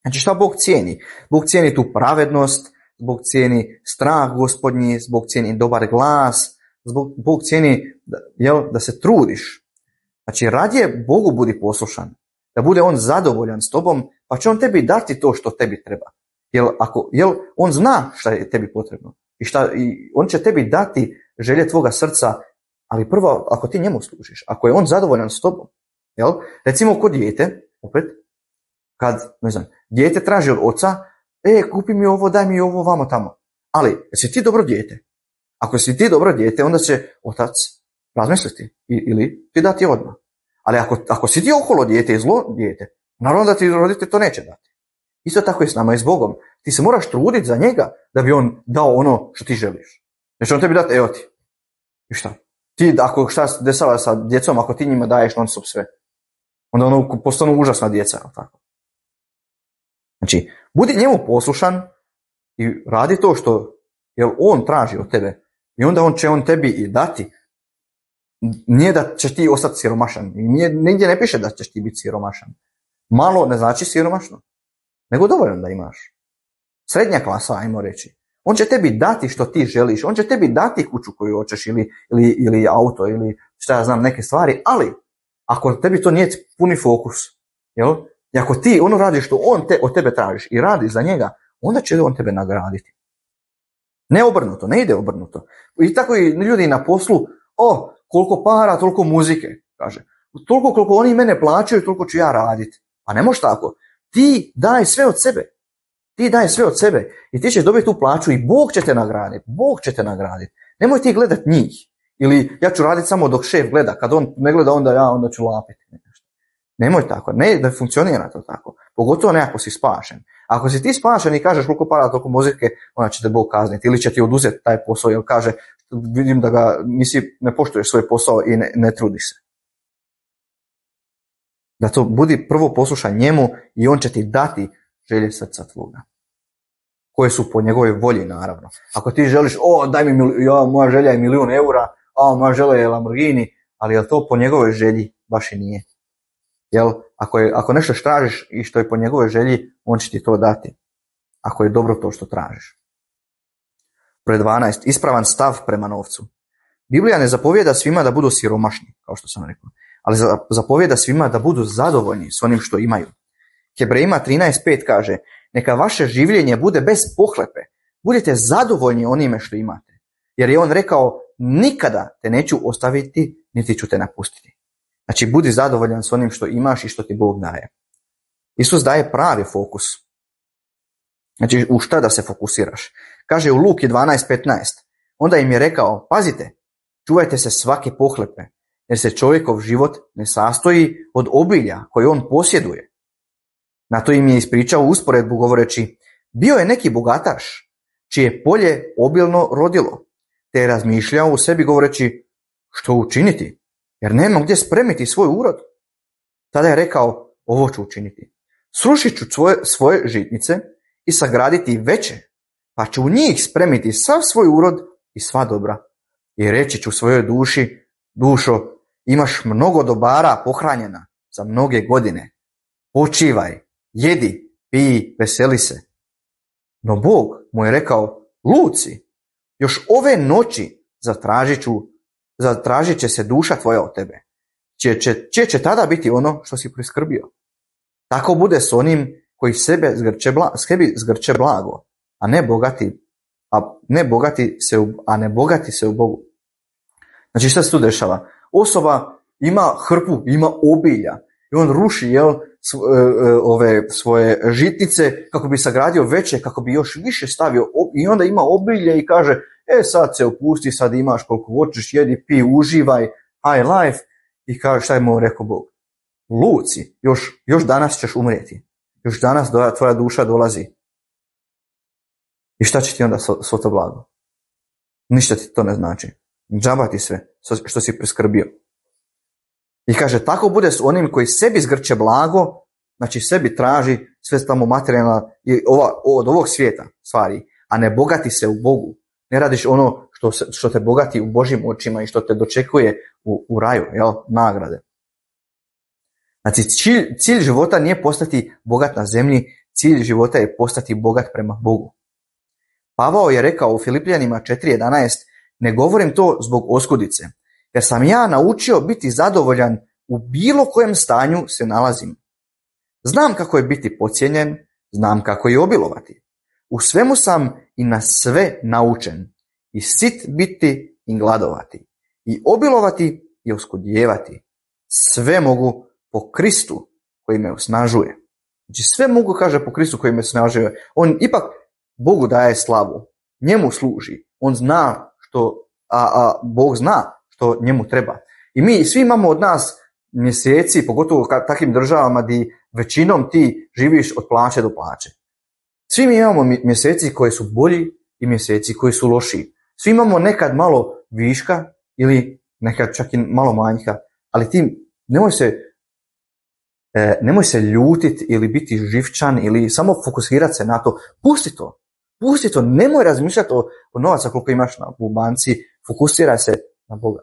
Znači šta Bog cijeni? Bog cijeni tu pravednost, Bog cijeni strah Gospodnji, Bog cijeni dobar glas, Bog cijeni da se trudiš. Znači radije Bogu budi poslušan, da bude on zadovoljan s tobom, pa će on tebi dati to što tebi treba. Jel on zna šta je tebi potrebno i on će tebi dati želje tvoga srca, ali prvo ako ti njemu služiš, ako je on zadovoljan s tobom. Jel? Recimo kod dijete, opet, kad, ne znam, dijete traži od oca, kupi mi ovo, daj mi ovo, vamo tamo. Ali, jesi ti dobro dijete? Ako si ti dobro dijete, onda će otac razmisliti ili ti dati odmah. Ali ako si ti oholo dijete i zlo dijete, naravno da ti roditelj to neće dati. Isto tako je s nama i s Bogom. Ti se moraš truditi za njega da bi on dao ono što ti želiš. Znači on tebi dati, evo ti. I šta? Ti, ako šta se dešava sa djecom, ako ti njima daješ non stop sve, onda ono postanu užasna djeca. Tako. Znači, budi njemu poslušan i radi to što jer on traži od tebe. I onda će on tebi i dati. Nije da ćeš ti ostati siromašan. Nigdje ne piše da ćeš ti biti siromašan. Malo ne znači siromašno. Nego dovoljno da imaš. Srednja klasa, ajmo reći. On će tebi dati što ti želiš. On će tebi dati kuću koju hoćeš ili auto ili šta ja znam, neke stvari. Ali, ako tebi to nije puni fokus, jel? I ako ti ono radiš što on od tebe tražiš i radi za njega, onda će on tebe nagraditi. Ne obrnuto, ne ide obrnuto. I tako i ljudi na poslu, koliko para, toliko muzike, kaže. Toliko koliko oni mene plaćaju, toliko ću ja raditi. A ne može tako. Ti daj sve od sebe. Ti daj sve od sebe i ti ćeš dobiti tu plaću i Bog će te nagraditi. Bog će te nagraditi. Nemoj ti gledati njih. Ili ja ću raditi samo dok šef gleda. Kad on ne gleda, onda ću lapiti. Nemoj tako. Ne da funkcionira to tako. Pogotovo ne ako si spašen. Ako si ti spašen i kažeš koliko para, toliko muzike, onda će te Bog kazniti. Ili će ti oduzeti taj posao jer kaže vidim da ga ne poštuješ svoj posao i ne trudiš se. Da to budi prvo poslušan njemu i on će ti dati želje srca tvoga. Koje su po njegovoj volji, naravno. Ako ti želiš, daj mi, moja želja je 1.000.000 eura, moja želja je Lamborghini, ali je to po njegovoj želji baš i nije. Jel, ako nešto tražiš i što je po njegovoj želji, on će ti to dati. Ako je dobro to što tražiš. Broj 12. Ispravan stav prema novcu. Biblija ne zapovijeda svima da budu siromašni, kao što sam rekao, ali zapovijeda svima da budu zadovoljni s onim što imaju. Hebrejima 13.5 kaže, neka vaše življenje bude bez pohlepe, budite zadovoljni onime što imate. Jer je on rekao, nikada te neću ostaviti, niti ću te napustiti. Znači, budi zadovoljan s onim što imaš i što ti Bog daje. Isus daje pravi fokus. Znači, u šta da se fokusiraš? Kaže u Luki 12.15, onda im je rekao, pazite, čuvajte se svake pohlepe, jer se čovjekov život ne sastoji od obilja koje on posjeduje. Na to im je ispričao usporedbu govoreći, bio je neki bogataš, čije polje obilno rodilo, te je razmišljao u sebi govoreći, što učiniti, jer nema gdje spremiti svoj urod. Tada je rekao, ovo ću učiniti. Srušit ću svoje žitnice i sagraditi veće, pa ću u njih spremiti sav svoj urod i sva dobra. I reći ću svojoj duši, dušo, imaš mnogo dobara pohranjena za mnoge godine. Počivaj, jedi, piji, veseli se. No Bog mu je rekao, luci, još ove noći zatražit će se duša tvoja od tebe. Će tada biti ono što si priskrbio. Tako bude s onim koji sebi zgrče blago, a ne bogati se u Bogu. Znači šta se tu dešava? Osoba ima hrpu, ima obilja i on ruši ove svoje žitnice kako bi sagradio veće, kako bi još više stavio i onda ima obilje i kaže sad se opusti, sad imaš koliko hoćeš, jedi, pi, uživaj, high life i kaže šta je mu rekao Bog? Luci, još danas ćeš umrijeti. Još danas tvoja duša dolazi. I šta će ti onda svo to blago? Ništa ti to ne znači. Džaba ti sve što si priskrbio. I kaže, tako bude s onim koji sebi zgrče blago, znači sebi traži sve tamo materijalno od ovog svijeta stvari, a ne bogati se u Bogu. Ne radiš ono što te bogati u Božjim očima i što te dočekuje u raju, nagrade. Znači, cilj života nije postati bogat na zemlji, cilj života je postati bogat prema Bogu. Pavao je rekao u Filipljanima 4.11, ne govorim to zbog oskudice, jer sam ja naučio biti zadovoljan u bilo kojem stanju se nalazim. Znam kako je biti podcijenjen, znam kako je obilovati. U svemu sam i na sve naučen, i sit biti i gladovati, i obilovati i oskudijevati. Sve mogu po Kristu koji me osnažuje. Znači sve mogu, kaže, po Kristu koji me osnažuje. On ipak Bogu daje slavu, njemu služi, on zna što, Bog zna što njemu treba. I mi svi imamo od nas mjeseci, pogotovo u takvim državama gdje većinom ti živiš od plaće do plaće. Svi mi imamo mjeseci koji su bolji i mjeseci koji su lošiji. Svi imamo nekad malo viška ili nekad čak i malo manjka, ali ti nemoj se ljutiti ili biti živčan ili samo fokusirati se na to. Pusti to, nemoj razmišljati o novaca koliko imaš u banci, fokusiraj se na Boga.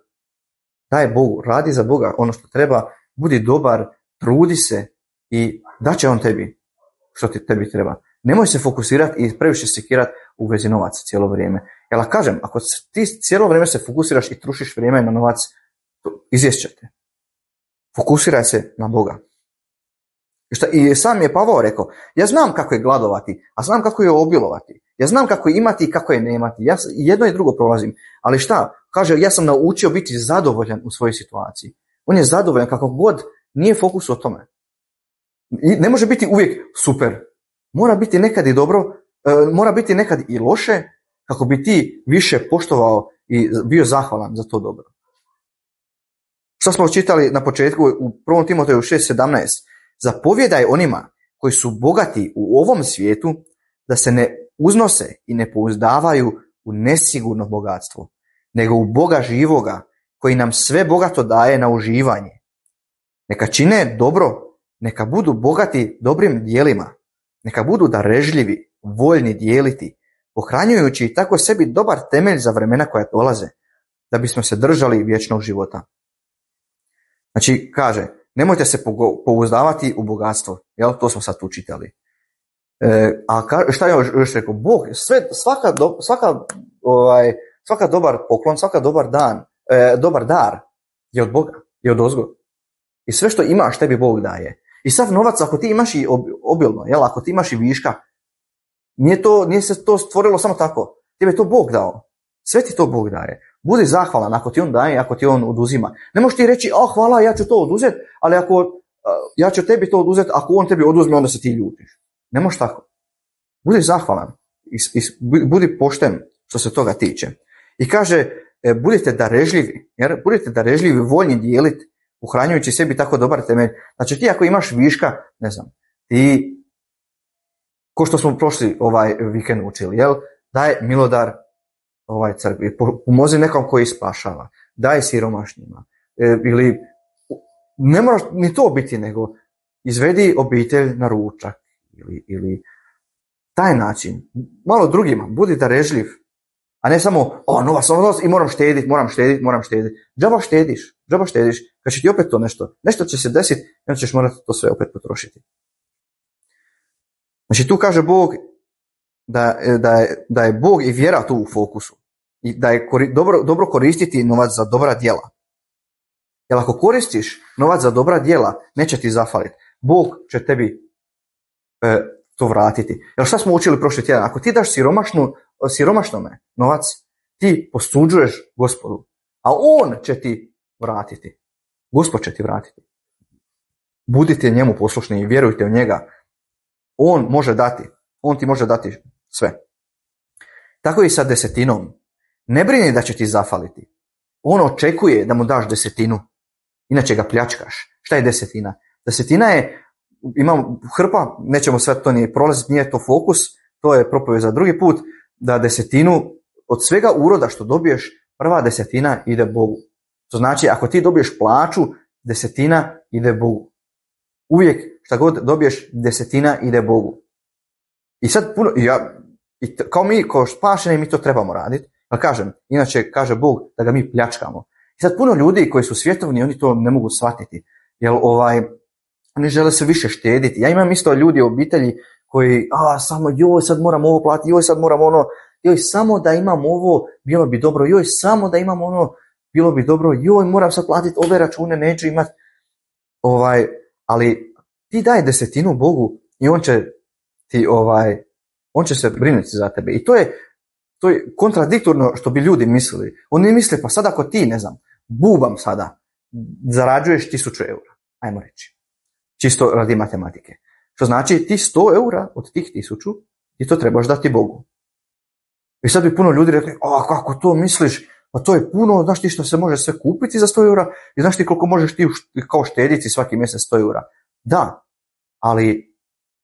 Daj Bogu, radi za Boga ono što treba, budi dobar, trudi se i daće on tebi što ti tebi treba. Nemoj se fokusirati i previše sekirati u vezi novaca cijelo vrijeme. Jer kažem, ako ti cijelo vrijeme se fokusiraš i trušiš vrijeme na novac, izvješćete. Fokusiraj se na Boga. I sam je Pavao rekao, ja znam kako je gladovati, a znam kako je obilovati. Ja znam kako je imati i kako je nemati. Ja jedno i drugo prolazim. Ali šta? Kaže, ja sam naučio biti zadovoljan u svojoj situaciji. On je zadovoljan kako god, nije fokus o tome. I ne može biti uvijek super. Mora biti nekad i dobro, mora biti nekad i loše, kako bi ti više poštovao i bio zahvalan za to dobro. Što smo čitali na početku u 1. Timoteju 6:17. Zapovjedaj onima koji su bogati u ovom svijetu da se ne uznose i ne pouzdavaju u nesigurno bogatstvo, nego u Boga živoga koji nam sve bogato daje na uživanje. Neka čine dobro, neka budu bogati dobrim dijelima, neka budu darežljivi, voljni dijeliti, pohranjujući tako sebi dobar temelj za vremena koja dolaze, da bismo se držali vječnog života. Znači, kaže, nemojte se pouzdavati u bogatstvo, jel? To smo sad tu čitali. Šta je još rekao? Bog, svaka dobar poklon, svaka dobar dar je od Boga, je od ozgo. I sve što imaš tebi Bog daje. I sav novac, ako ti imaš i obilno, jel? Ako ti imaš i viška, nije se to stvorilo samo tako. Tebe je to Bog dao. Sve ti to Bog daje. Budi zahvalan ako ti on daje, ako ti on oduzima. Ne možeš ti reći, hvala, ja ću to oduzeti, ali ako ja ću tebi to oduzeti, ako on tebi oduzme, onda se ti ljutiš. Ne možeš tako. Budi zahvalan. Budi pošten što se toga tiče. I kaže, budite darežljivi, jer budite darežljivi, voljni dijeliti, uhranjujući sebi tako dobar temelj. Znači ti ako imaš viška, ne znam, ti, ko što smo prošli vikend učili, jel? Daj milodar crkvi, pomozi nekom koji spašava, daj siromašnjima, ili ne moraš ni to biti, nego izvedi obitelj na ručak, ili taj način, malo drugima, budi darežljiv, a ne samo, novac i moram štediti. Džaba štediš, kad će ti opet to nešto će se desiti, i onda ćeš morati to sve opet potrošiti. Znači tu kaže Bog da je Bog i vjera tu u fokusu i da je dobro koristiti novac za dobra djela. Jer ako koristiš novac za dobra djela, neće ti zafaliti. Bog će tebi to vratiti. Jer šta smo učili prošli tjedan? Ako ti daš siromašnome novac, ti posuđuješ Gospodu, a on će ti vratiti. Gospod će ti vratiti. Budite njemu poslušni i vjerujte u njega. On može dati. On ti može dati sve. Tako i sa desetinom. Ne brini da će ti zafaliti. On očekuje da mu daš desetinu. Inače ga pljačkaš. Šta je desetina? Desetina je, imam hrpa, nećemo sve to ni prolaziti, nije to fokus, to je propovijed za drugi put, da desetinu od svega uroda što dobiješ, prva desetina ide Bogu. To znači, ako ti dobiješ plaću, desetina ide Bogu. Uvijek šta god dobiješ, desetina ide Bogu. I sad puno, kao spašeni mi to trebamo raditi, ali kažem, inače kaže Bog da ga mi pljačkamo. I sad puno ljudi koji su svjetovni, oni to ne mogu shvatiti, jer oni žele se više štediti. Ja imam isto ljudi u obitelji koji, samo sad moram ovo platiti, sad moram ono, samo da imam ovo, bilo bi dobro, samo da imam ono, bilo bi dobro, moram sad platiti ove račune, neću imati, ali ti daj desetinu Bogu i on će ti On će se brinuti za tebe. I to je kontradiktorno što bi ljudi mislili. Oni misle, pa sad ako ti, ne znam, bubam sada, zarađuješ 1000 eura, ajmo reći, čisto radi matematike. Što znači ti 100 eura od tih 1000 ti to trebaš dati Bogu. I sad bi puno ljudi rekli, kako to misliš, pa to je puno, znaš ti što se može sve kupiti za 100 eura i znaš ti koliko možeš ti kao štediti svaki mjesec 100 eura. Da, ali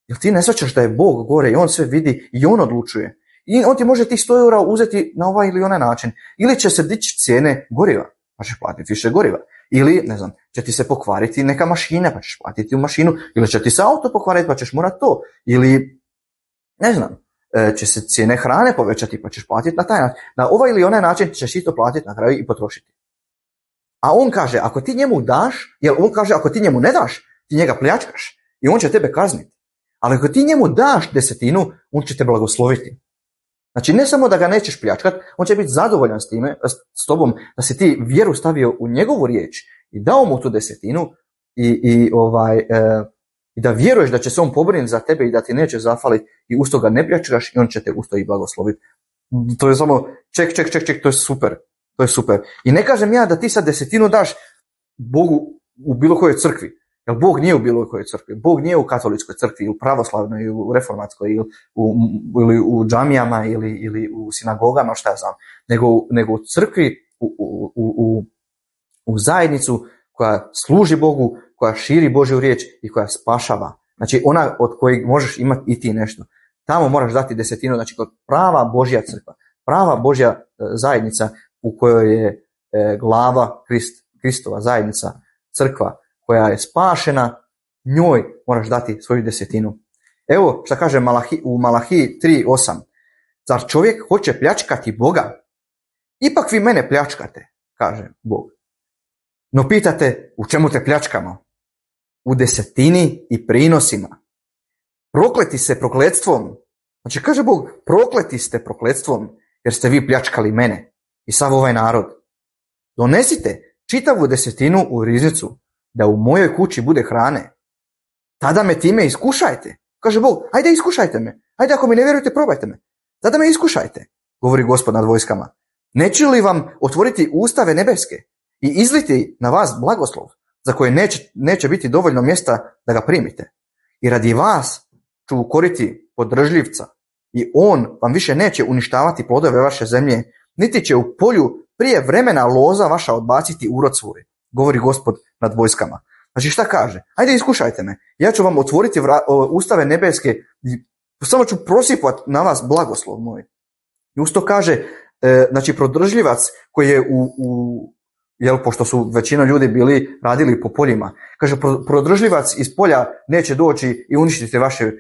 jel ti ne shvaćaš da je Bog gore i on sve vidi i on odlučuje? I on ti može tih 100 eura uzeti na ovaj ili onaj način. Ili će se dići cijene goriva, pa ćeš platiti više goriva. Ili, ne znam, će ti se pokvariti neka mašina, pa ćeš platiti u mašinu. Ili će ti se auto pokvariti, pa ćeš morati to. Ili, ne znam, će se cijene hrane povećati, pa ćeš platiti na taj način. Na ovaj ili onaj način ćeš isto platiti na kraju i potrošiti. A on kaže, ako ti njemu daš, jer on kaže, ako ti njemu ne daš, ti njega pljačkaš i on će tebe kazniti. Ali ako ti njemu daš 10, on će te blagosloviti. Znači, ne samo da ga nećeš pljačkat, on će biti zadovoljan s tobom, da si ti vjeru stavio u njegovu riječ i dao mu tu 10 i da vjeruješ da će se on pobrinuti za tebe i da ti neće zafaliti i uz to ga ne pljačkaš i on će te uz to i blagosloviti. To je samo ček, to je super. To je super. I ne kažem ja da ti sad 10 daš Bogu u bilo kojoj crkvi. Jer Bog nije u bilo kojoj crkvi. Bog nije u katoličkoj crkvi, u pravoslavnoj, ili u reformatskoj, ili u džamijama, ili u sinagogama, šta ja znam. Nego u crkvi, u zajednicu koja služi Bogu, koja širi Božju riječ i koja spašava. Znači ona od kojeg možeš imati i ti nešto. Tamo moraš dati 10, znači kod prava Božja crkva, prava Božja zajednica u kojoj je glava Kristova zajednica, crkva koja je spašena, njoj moraš dati svoju 10. Evo šta kaže u Malahiji 3:8. Zar čovjek hoće pljačkati Boga? Ipak vi mene pljačkate, kaže Bog. No pitate, u čemu te pljačkamo? U 10 i prinosima. Prokleti se prokletstvom. Znači kaže Bog, prokleti ste prokletstvom, jer ste vi pljačkali mene i sav ovaj narod. Donesite čitavu 10 u riznicu, da u mojoj kući bude hrane. Tada me time iskušajte. Kaže Bog, ajde iskušajte me. Ajde ako mi ne vjerujete, probajte me. Tada me iskušajte, govori Gospod nad vojskama. Neće li vam otvoriti ustave nebeske i izliti na vas blagoslov, za koje neće biti dovoljno mjesta da ga primite? I radi vas ću ukoriti podržljivca i on vam više neće uništavati plodove vaše zemlje, niti će u polju prije vremena loza vaša odbaciti urod svoj, govori Gospod nad vojskama. Znači šta kaže? Ajde iskušajte me, ja ću vam otvoriti ustave nebeske i samo ću prosipati na vas blagoslov moj. I usto kaže, znači prodržljivac koji je pošto su većina ljudi radili po poljima, kaže prodržljivac iz polja neće doći i uništiti vaše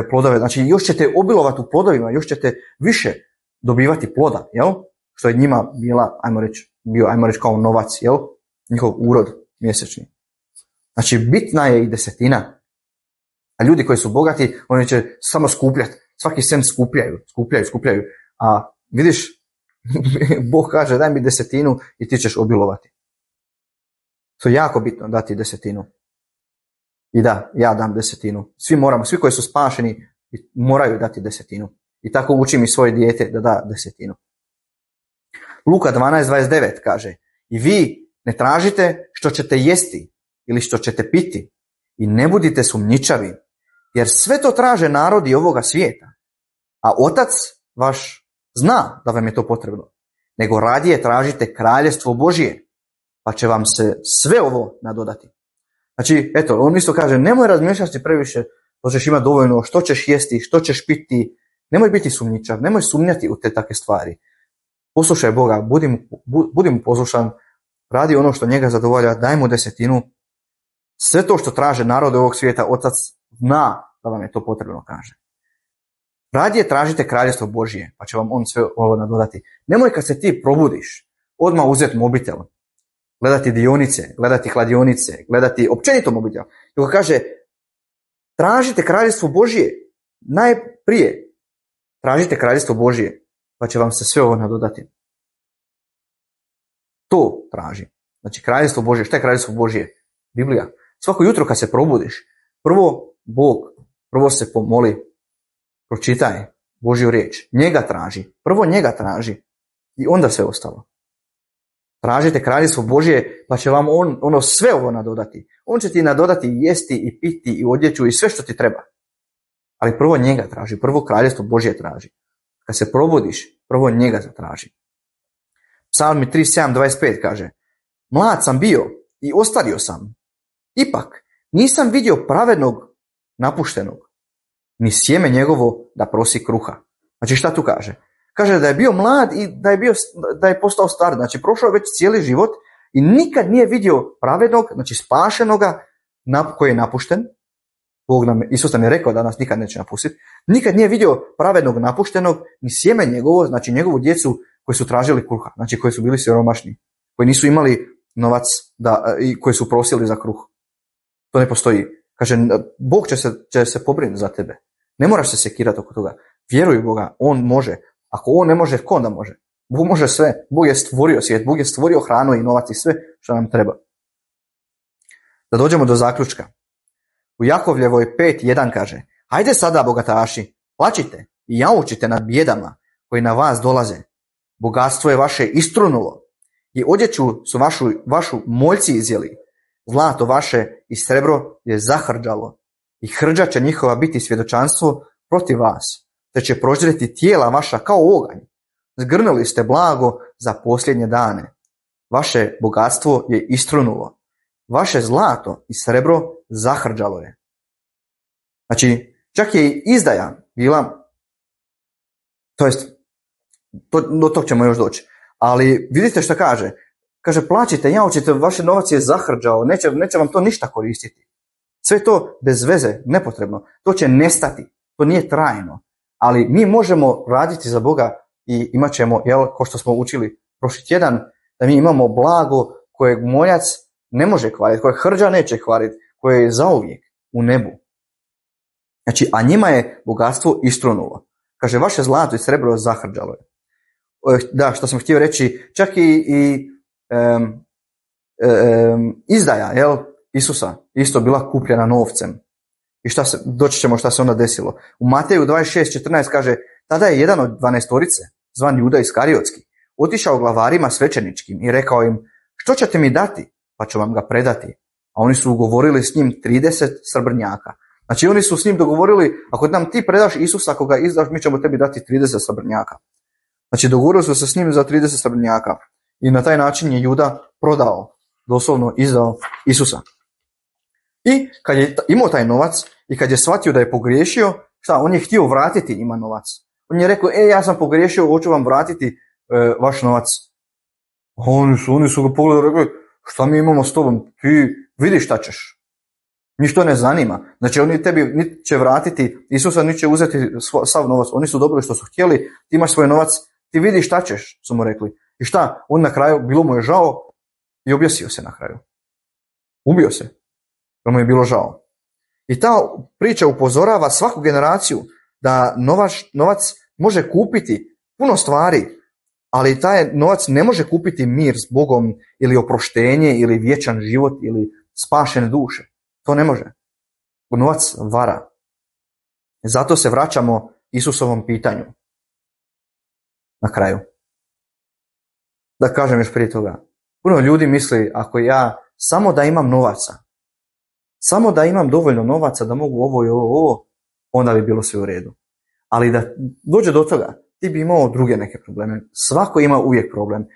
plodove, znači još ćete obilovati u plodovima, još ćete više dobivati ploda, jel? Što je njima ajmo reći kao novac, jel? Njihov urod mjesečni. Znači bitna je i 10. A ljudi koji su bogati, oni će samo skupljati, svaki cent skupljaju, a vidiš, Bog kaže daj mi 10 i ti ćeš obilovati. To je jako bitno dati 10. I da, ja dam 10. Svi koji su spašeni moraju dati 10. I tako učim i svoje dijete da da 10. Luka 12:29 kaže, i vi ne tražite što ćete jesti ili što ćete piti i ne budite sumnjičavi, jer sve to traže narodi ovoga svijeta, a Otac vaš zna da vam je to potrebno, nego radije tražite kraljevstvo Božje, pa će vam se sve ovo nadodati. Znači, eto, on isto kaže, nemoj razmišljati previše, to ćeš imati dovoljno, što ćeš jesti, što ćeš piti, nemoj biti sumnjičav, nemoj sumnjati u te takve stvari. Poslušaj Boga, budi mu poslušan, radi ono što njega zadovolja, daj mu 10. Sve to što traže narod ovog svijeta, Otac zna da vam je to potrebno, kaže. Radije tražite kraljevstvo Božje, pa će vam on sve ovo nadodati. Nemoj kad se ti probudiš, odmah uzeti mobitel, gledati dionice, gledati kladionice, gledati općenito mobitel. Nego kaže, tražite kraljevstvo Božje, najprije tražite kraljevstvo Božje, pa će vam se sve ovo nadodati. To traži. Znači kraljevstvo Božje, šta je kraljevstvo Božje? Biblija. Svako jutro kad se probudiš, prvo se pomoli, pročitaj Božju riječ. Njega traži. Prvo njega traži. I onda sve ostalo. Tražite kraljevstvo Božje, pa će vam on sve ovo nadodati. On će ti nadodati i jesti i piti i odjeću i sve što ti treba. Ali prvo njega traži. Prvo kraljevstvo Božje traži. Kad se probudiš, prvo njega zatraži. Psalmi 37:25 kaže: Mlad sam bio i ostario sam. Ipak nisam vidio pravednog napuštenog, ni sjeme njegovo da prosi kruha. Znači šta tu kaže? Kaže da je bio mlad i da je postao star. Znači prošao je već cijeli život i nikad nije vidio pravednog, znači spašenoga koji je napušten. Isus nam je rekao da nas nikad neće napustiti. Nikad nije vidio pravednog napuštenog, ni sjeme njegovo, znači njegovu djecu koji su tražili kruha, znači koji su bili siromašni, koji nisu imali novac i koji su prosili za kruh. To ne postoji. Kaže, Bog će se pobrinuti za tebe. Ne moraš se sekirati oko toga. Vjeruj u Boga, on može. Ako on ne može, ko onda može? Bog može sve. Bog je stvorio svijet, Bog je stvorio hranu i novac i sve što nam treba. Da dođemo do zaključka. U Jakovljevoj 5:1 kaže: Hajde sada, bogataši, plačite i jaučite nad bijedama koji na vas dolaze. Bogatstvo je vaše istrunulo i odjeću su vašu moljci izjeli. Zlato vaše i srebro je zahrđalo i hrđa će njihova biti svjedočanstvo protiv vas, te će proždreti tijela vaša kao oganj. Zgrnuli ste blago za posljednje dane. Vaše bogatstvo je istrunulo. Vaše zlato i srebro zahrđalo je. Znači, čak je i izdaja bila, to jest, do tog ćemo još doći. Ali vidite što kaže. Kaže, plaćite, jaučite, vaš novac je zahrđao, neće vam to ništa koristiti. Sve to bez veze, nepotrebno. To će nestati, to nije trajno. Ali mi možemo raditi za Boga i imat ćemo, kao što smo učili prošli tjedan, da mi imamo blago kojeg moljac ne može kvariti, kojeg hrđa neće kvariti, koje je zauvijek u nebu. Znači, a njima je bogatstvo istrunulo. Kaže, vaše zlato i srebro zahrđalo je. Da, što sam htio reći, čak i izdaja Isusa isto bila kupljena novcem. I doći ćemo šta se onda desilo. U Mateju 26:14 kaže: Tada je jedan od 12-torice, zvan Juda Iskariotski, otišao glavarima svećeničkim i rekao im: Što ćete mi dati, pa ću vam ga predati? A oni su ugovorili s njim 30 srebrnjaka. Znači oni su s njim dogovorili: Ako nam ti predaš Isusa, ako ga izdaš, mi ćemo tebi dati 30 srebrnjaka. Znači dogovorili su se s njim za 30 srebrnjaka. I na taj način je Juda prodao, doslovno izdao Isusa. I kad je imao taj novac i kad je shvatio da je pogriješio, on je htio vratiti njima novac. On je rekao: ja sam pogriješio, hoću vam vratiti vaš novac. Oni su ga pogledali i rekli: šta mi imamo s tobom, ti vidiš šta ćeš. Njih to ne zanima. Znači oni tebi niti će vratiti Isusa, niti će uzeti sav novac. Oni su dobili što su htjeli, ti imaš svoj novac, ti vidiš šta ćeš, su mu rekli. I šta? On na kraju, bilo mu je žao i objesio se na kraju. Ubio se, jer mu je bilo žao. I ta priča upozorava svaku generaciju da novac može kupiti puno stvari, ali taj novac ne može kupiti mir s Bogom ili oproštenje ili vječan život ili spašene duše. To ne može. Novac vara. Zato se vraćamo Isusovom pitanju. Na kraju. Da kažem još prije toga. Puno ljudi misli, ako ja samo da imam novaca, samo da imam dovoljno novaca da mogu ovo i ovo, onda bi bilo sve u redu. Ali da dođe do toga, ti bi imao druge neke probleme. Svako ima uvijek problem.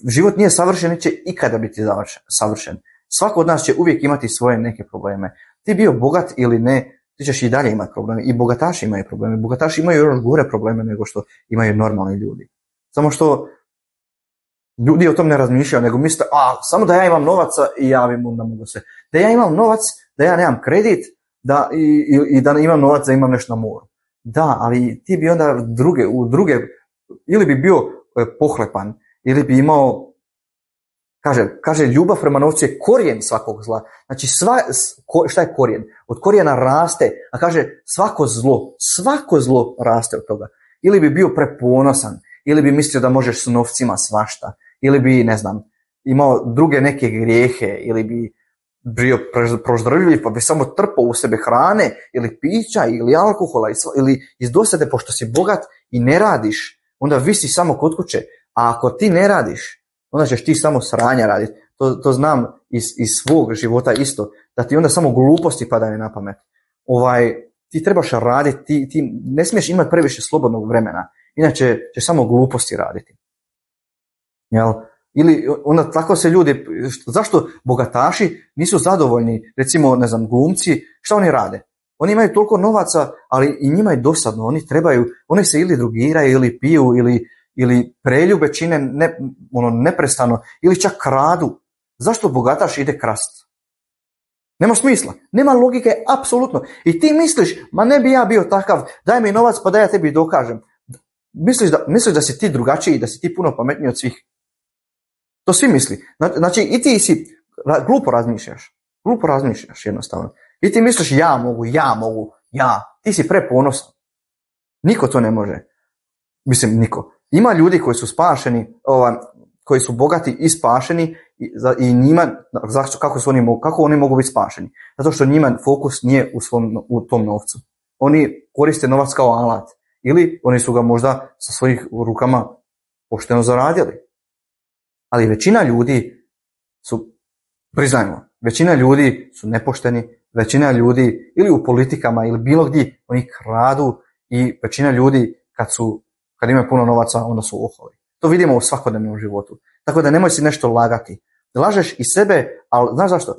Život nije savršen, neće ikada biti savršen. Svako od nas će uvijek imati svoje neke probleme. Ti bio bogat ili ne, ti ćeš i dalje imati probleme. I bogataši imaju probleme. Bogataši imaju još gore probleme nego što imaju normalni ljudi. Samo što ljudi o tom ne razmišljaju, nego misle, samo da ja imam novaca i ja onda mogu se. Da ja imam novac, da ja nemam kredit, i da imam novac, da imam nešto na moru. Da, ali ti bi onda druge, ili bi bio pohlepan, ili bi imao, kaže ljubav prema novcu je korijen svakog zla. Znači šta je korijen? Od korijena raste, a kaže svako zlo raste od toga. Ili bi bio preponosan, ili bi mislio da možeš s novcima svašta, ili bi, ne znam, imao druge neke grijehe, ili bi bio proždrvljiv pa bi samo trpao u sebe hrane ili pića ili alkohola ili iz dosade, pošto si bogat i ne radiš, onda visi samo kod kuće. A ako ti ne radiš, onda ćeš ti samo sranja raditi. To znam iz svog života isto, da ti onda samo gluposti padaju na pamet. Ti trebaš raditi, ti ne smiješ imati previše slobodnog vremena, inače ćeš samo gluposti raditi. Jel? Ili onda tako se ljudi, zašto bogataši nisu zadovoljni, recimo, ne znam, glumci, šta oni rade? Oni imaju toliko novaca, ali i njima je dosadno, oni se ili drugiraju, ili piju, ili preljube čine neprestano, ili čak kradu. Zašto bogataš ide krast? Nema smisla, nema logike, apsolutno. I ti misliš, ma ne bi ja bio takav, daj mi novac pa da ja tebi dokažem. Misliš da si ti drugačiji, da si ti puno pametniji od svih. To svi misli. Znači i ti si, glupo razmišljaš jednostavno. I ti misliš ja mogu, ti si preponosan. Niko to ne može. Mislim, niko. Ima ljudi koji su spašeni, koji su bogati i spašeni i njima, kako oni mogu biti spašeni? Zato što njima fokus nije u tom novcu. Oni koriste novac kao alat. Ili oni su ga možda sa svojih rukama pošteno zaradili. Ali većina ljudi većina ljudi su nepošteni, većina ljudi ili u politikama ili bilo gdje oni kradu i većina ljudi kad imaju puno novaca onda su oholi. To vidimo u svakodnevnom životu. Tako da nemoj si nešto lagati. Lažeš i sebe, ali znaš zašto?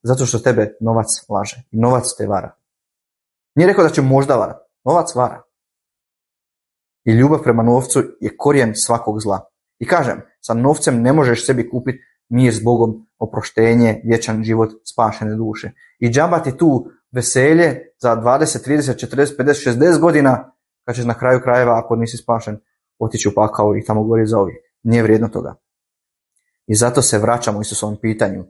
Zato što tebe novac laže. I novac te vara. Nije rekao da će možda varati. Novac vara. I ljubav prema novcu je korijen svakog zla. I kažem, sa novcem ne možeš sebi kupiti mir s Bogom, oproštenje, vječan život, spašene duše. I džabati tu veselje za 20, 30, 40, 50, 60 godina, kad ćeš na kraju krajeva, ako nisi spašen, otići u pakao i tamo gori zauvijek. Nije vrijedno toga. I zato se vraćamo Isusovom pitanju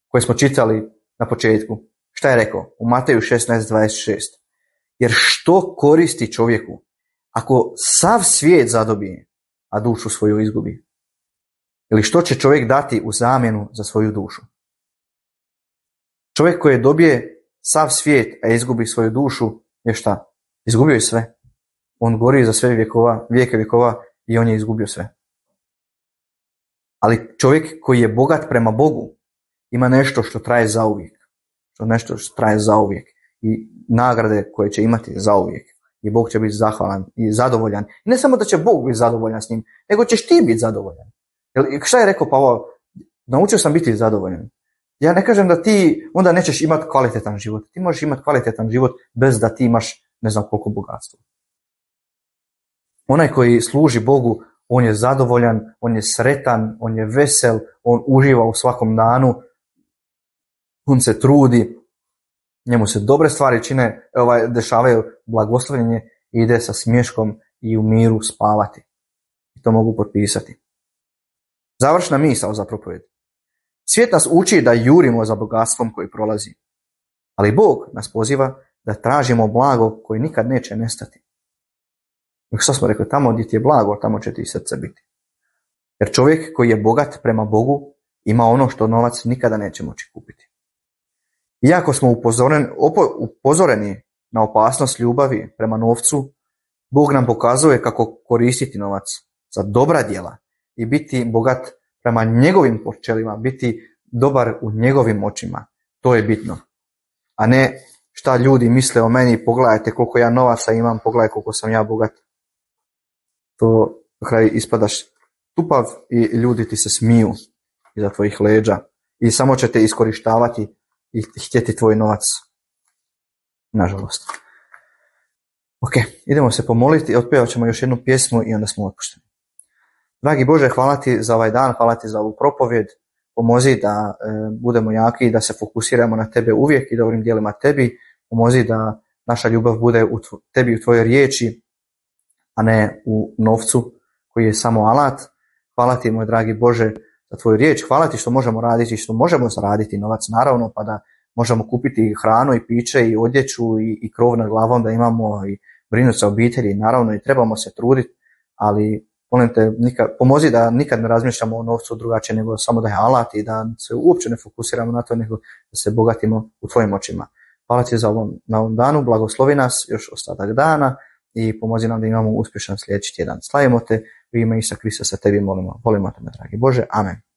koje smo čitali na početku. Šta je rekao? U Mateju 16:26. Jer što koristi čovjeku ako sav svijet zadobije, a dušu svoju izgubi? Ili što će čovjek dati u zamjenu za svoju dušu? Čovjek koji dobije sav svijet, a izgubi svoju dušu, je šta? Izgubio je sve. On gori za sve vijeke vjekova i on je izgubio sve. Ali čovjek koji je bogat prema Bogu ima nešto što traje zauvijek. Nešto što traje zauvijek. I nagrade koje će imati zauvijek. I Bog će biti zahvalan i zadovoljan. I ne samo da će Bog biti zadovoljan s njim, nego ćeš ti biti zadovoljan. Šta je rekao Pavao? Naučio sam biti zadovoljan. Ja ne kažem da ti onda nećeš imati kvalitetan život. Ti možeš imati kvalitetan život bez da ti imaš ne znam koliko bogatstva. Onaj koji služi Bogu, on je zadovoljan, on je sretan, on je vesel, on uživa u svakom danu, on se trudi, njemu se dobre stvari čine, dešavaju, blagoslovljenje i ide sa smješkom i u miru spavati. I to mogu potpisati. Završna misao za propovjed. Svijet nas uči da jurimo za bogatstvom koji prolazi. Ali Bog nas poziva da tražimo blago koje nikad neće nestati. Što smo rekli, tamo gdje ti je blago, tamo će ti srce biti. Jer čovjek koji je bogat prema Bogu ima ono što novac nikada neće moći kupiti. Iako smo upozoreni na opasnost ljubavi prema novcu, Bog nam pokazuje kako koristiti novac za dobra djela i biti bogat prema njegovim počelima, biti dobar u njegovim očima. To je bitno. A ne šta ljudi misle o meni, pogledajte koliko ja novaca imam, pogledaj koliko sam ja bogat. To na kraju ispadaš tupav i ljudi ti se smiju iza tvojih leđa i samo će te iskorištavati i htjeti tvoj novac. Nažalost. Ok, idemo se pomoliti, otpevat ćemo još jednu pjesmu i onda smo otpušteni. Dragi Bože, hvala ti za ovaj dan, hvala ti za ovu propovjed. Pomozi da budemo jaki i da se fokusiramo na tebe uvijek i dobrim djelima tebi. Pomozi da naša ljubav bude u tebi, u tvojoj riječi, a ne u novcu koji je samo alat. Hvala ti, moj dragi Bože, za tvoju riječ. Hvala ti što možemo raditi, što možemo zaraditi novac, naravno, pa da možemo kupiti hranu i piće i odjeću i krov nad glavom da imamo i brinuti se o obitelji. Naravno i trebamo se truditi, ali Molim te, pomozi da nikad ne razmišljamo o novcu drugačije nego samo da je alat i da se uopće ne fokusiramo na to nego da se bogatimo u tvojim očima. Hvala ti na ovom danu, blagoslovi nas još ostatak dana i pomozi nam da imamo uspješan sljedeći tjedan. Slavimo te u ime Isusa Krista, sa tebi molimo te, dragi Bože. Amen.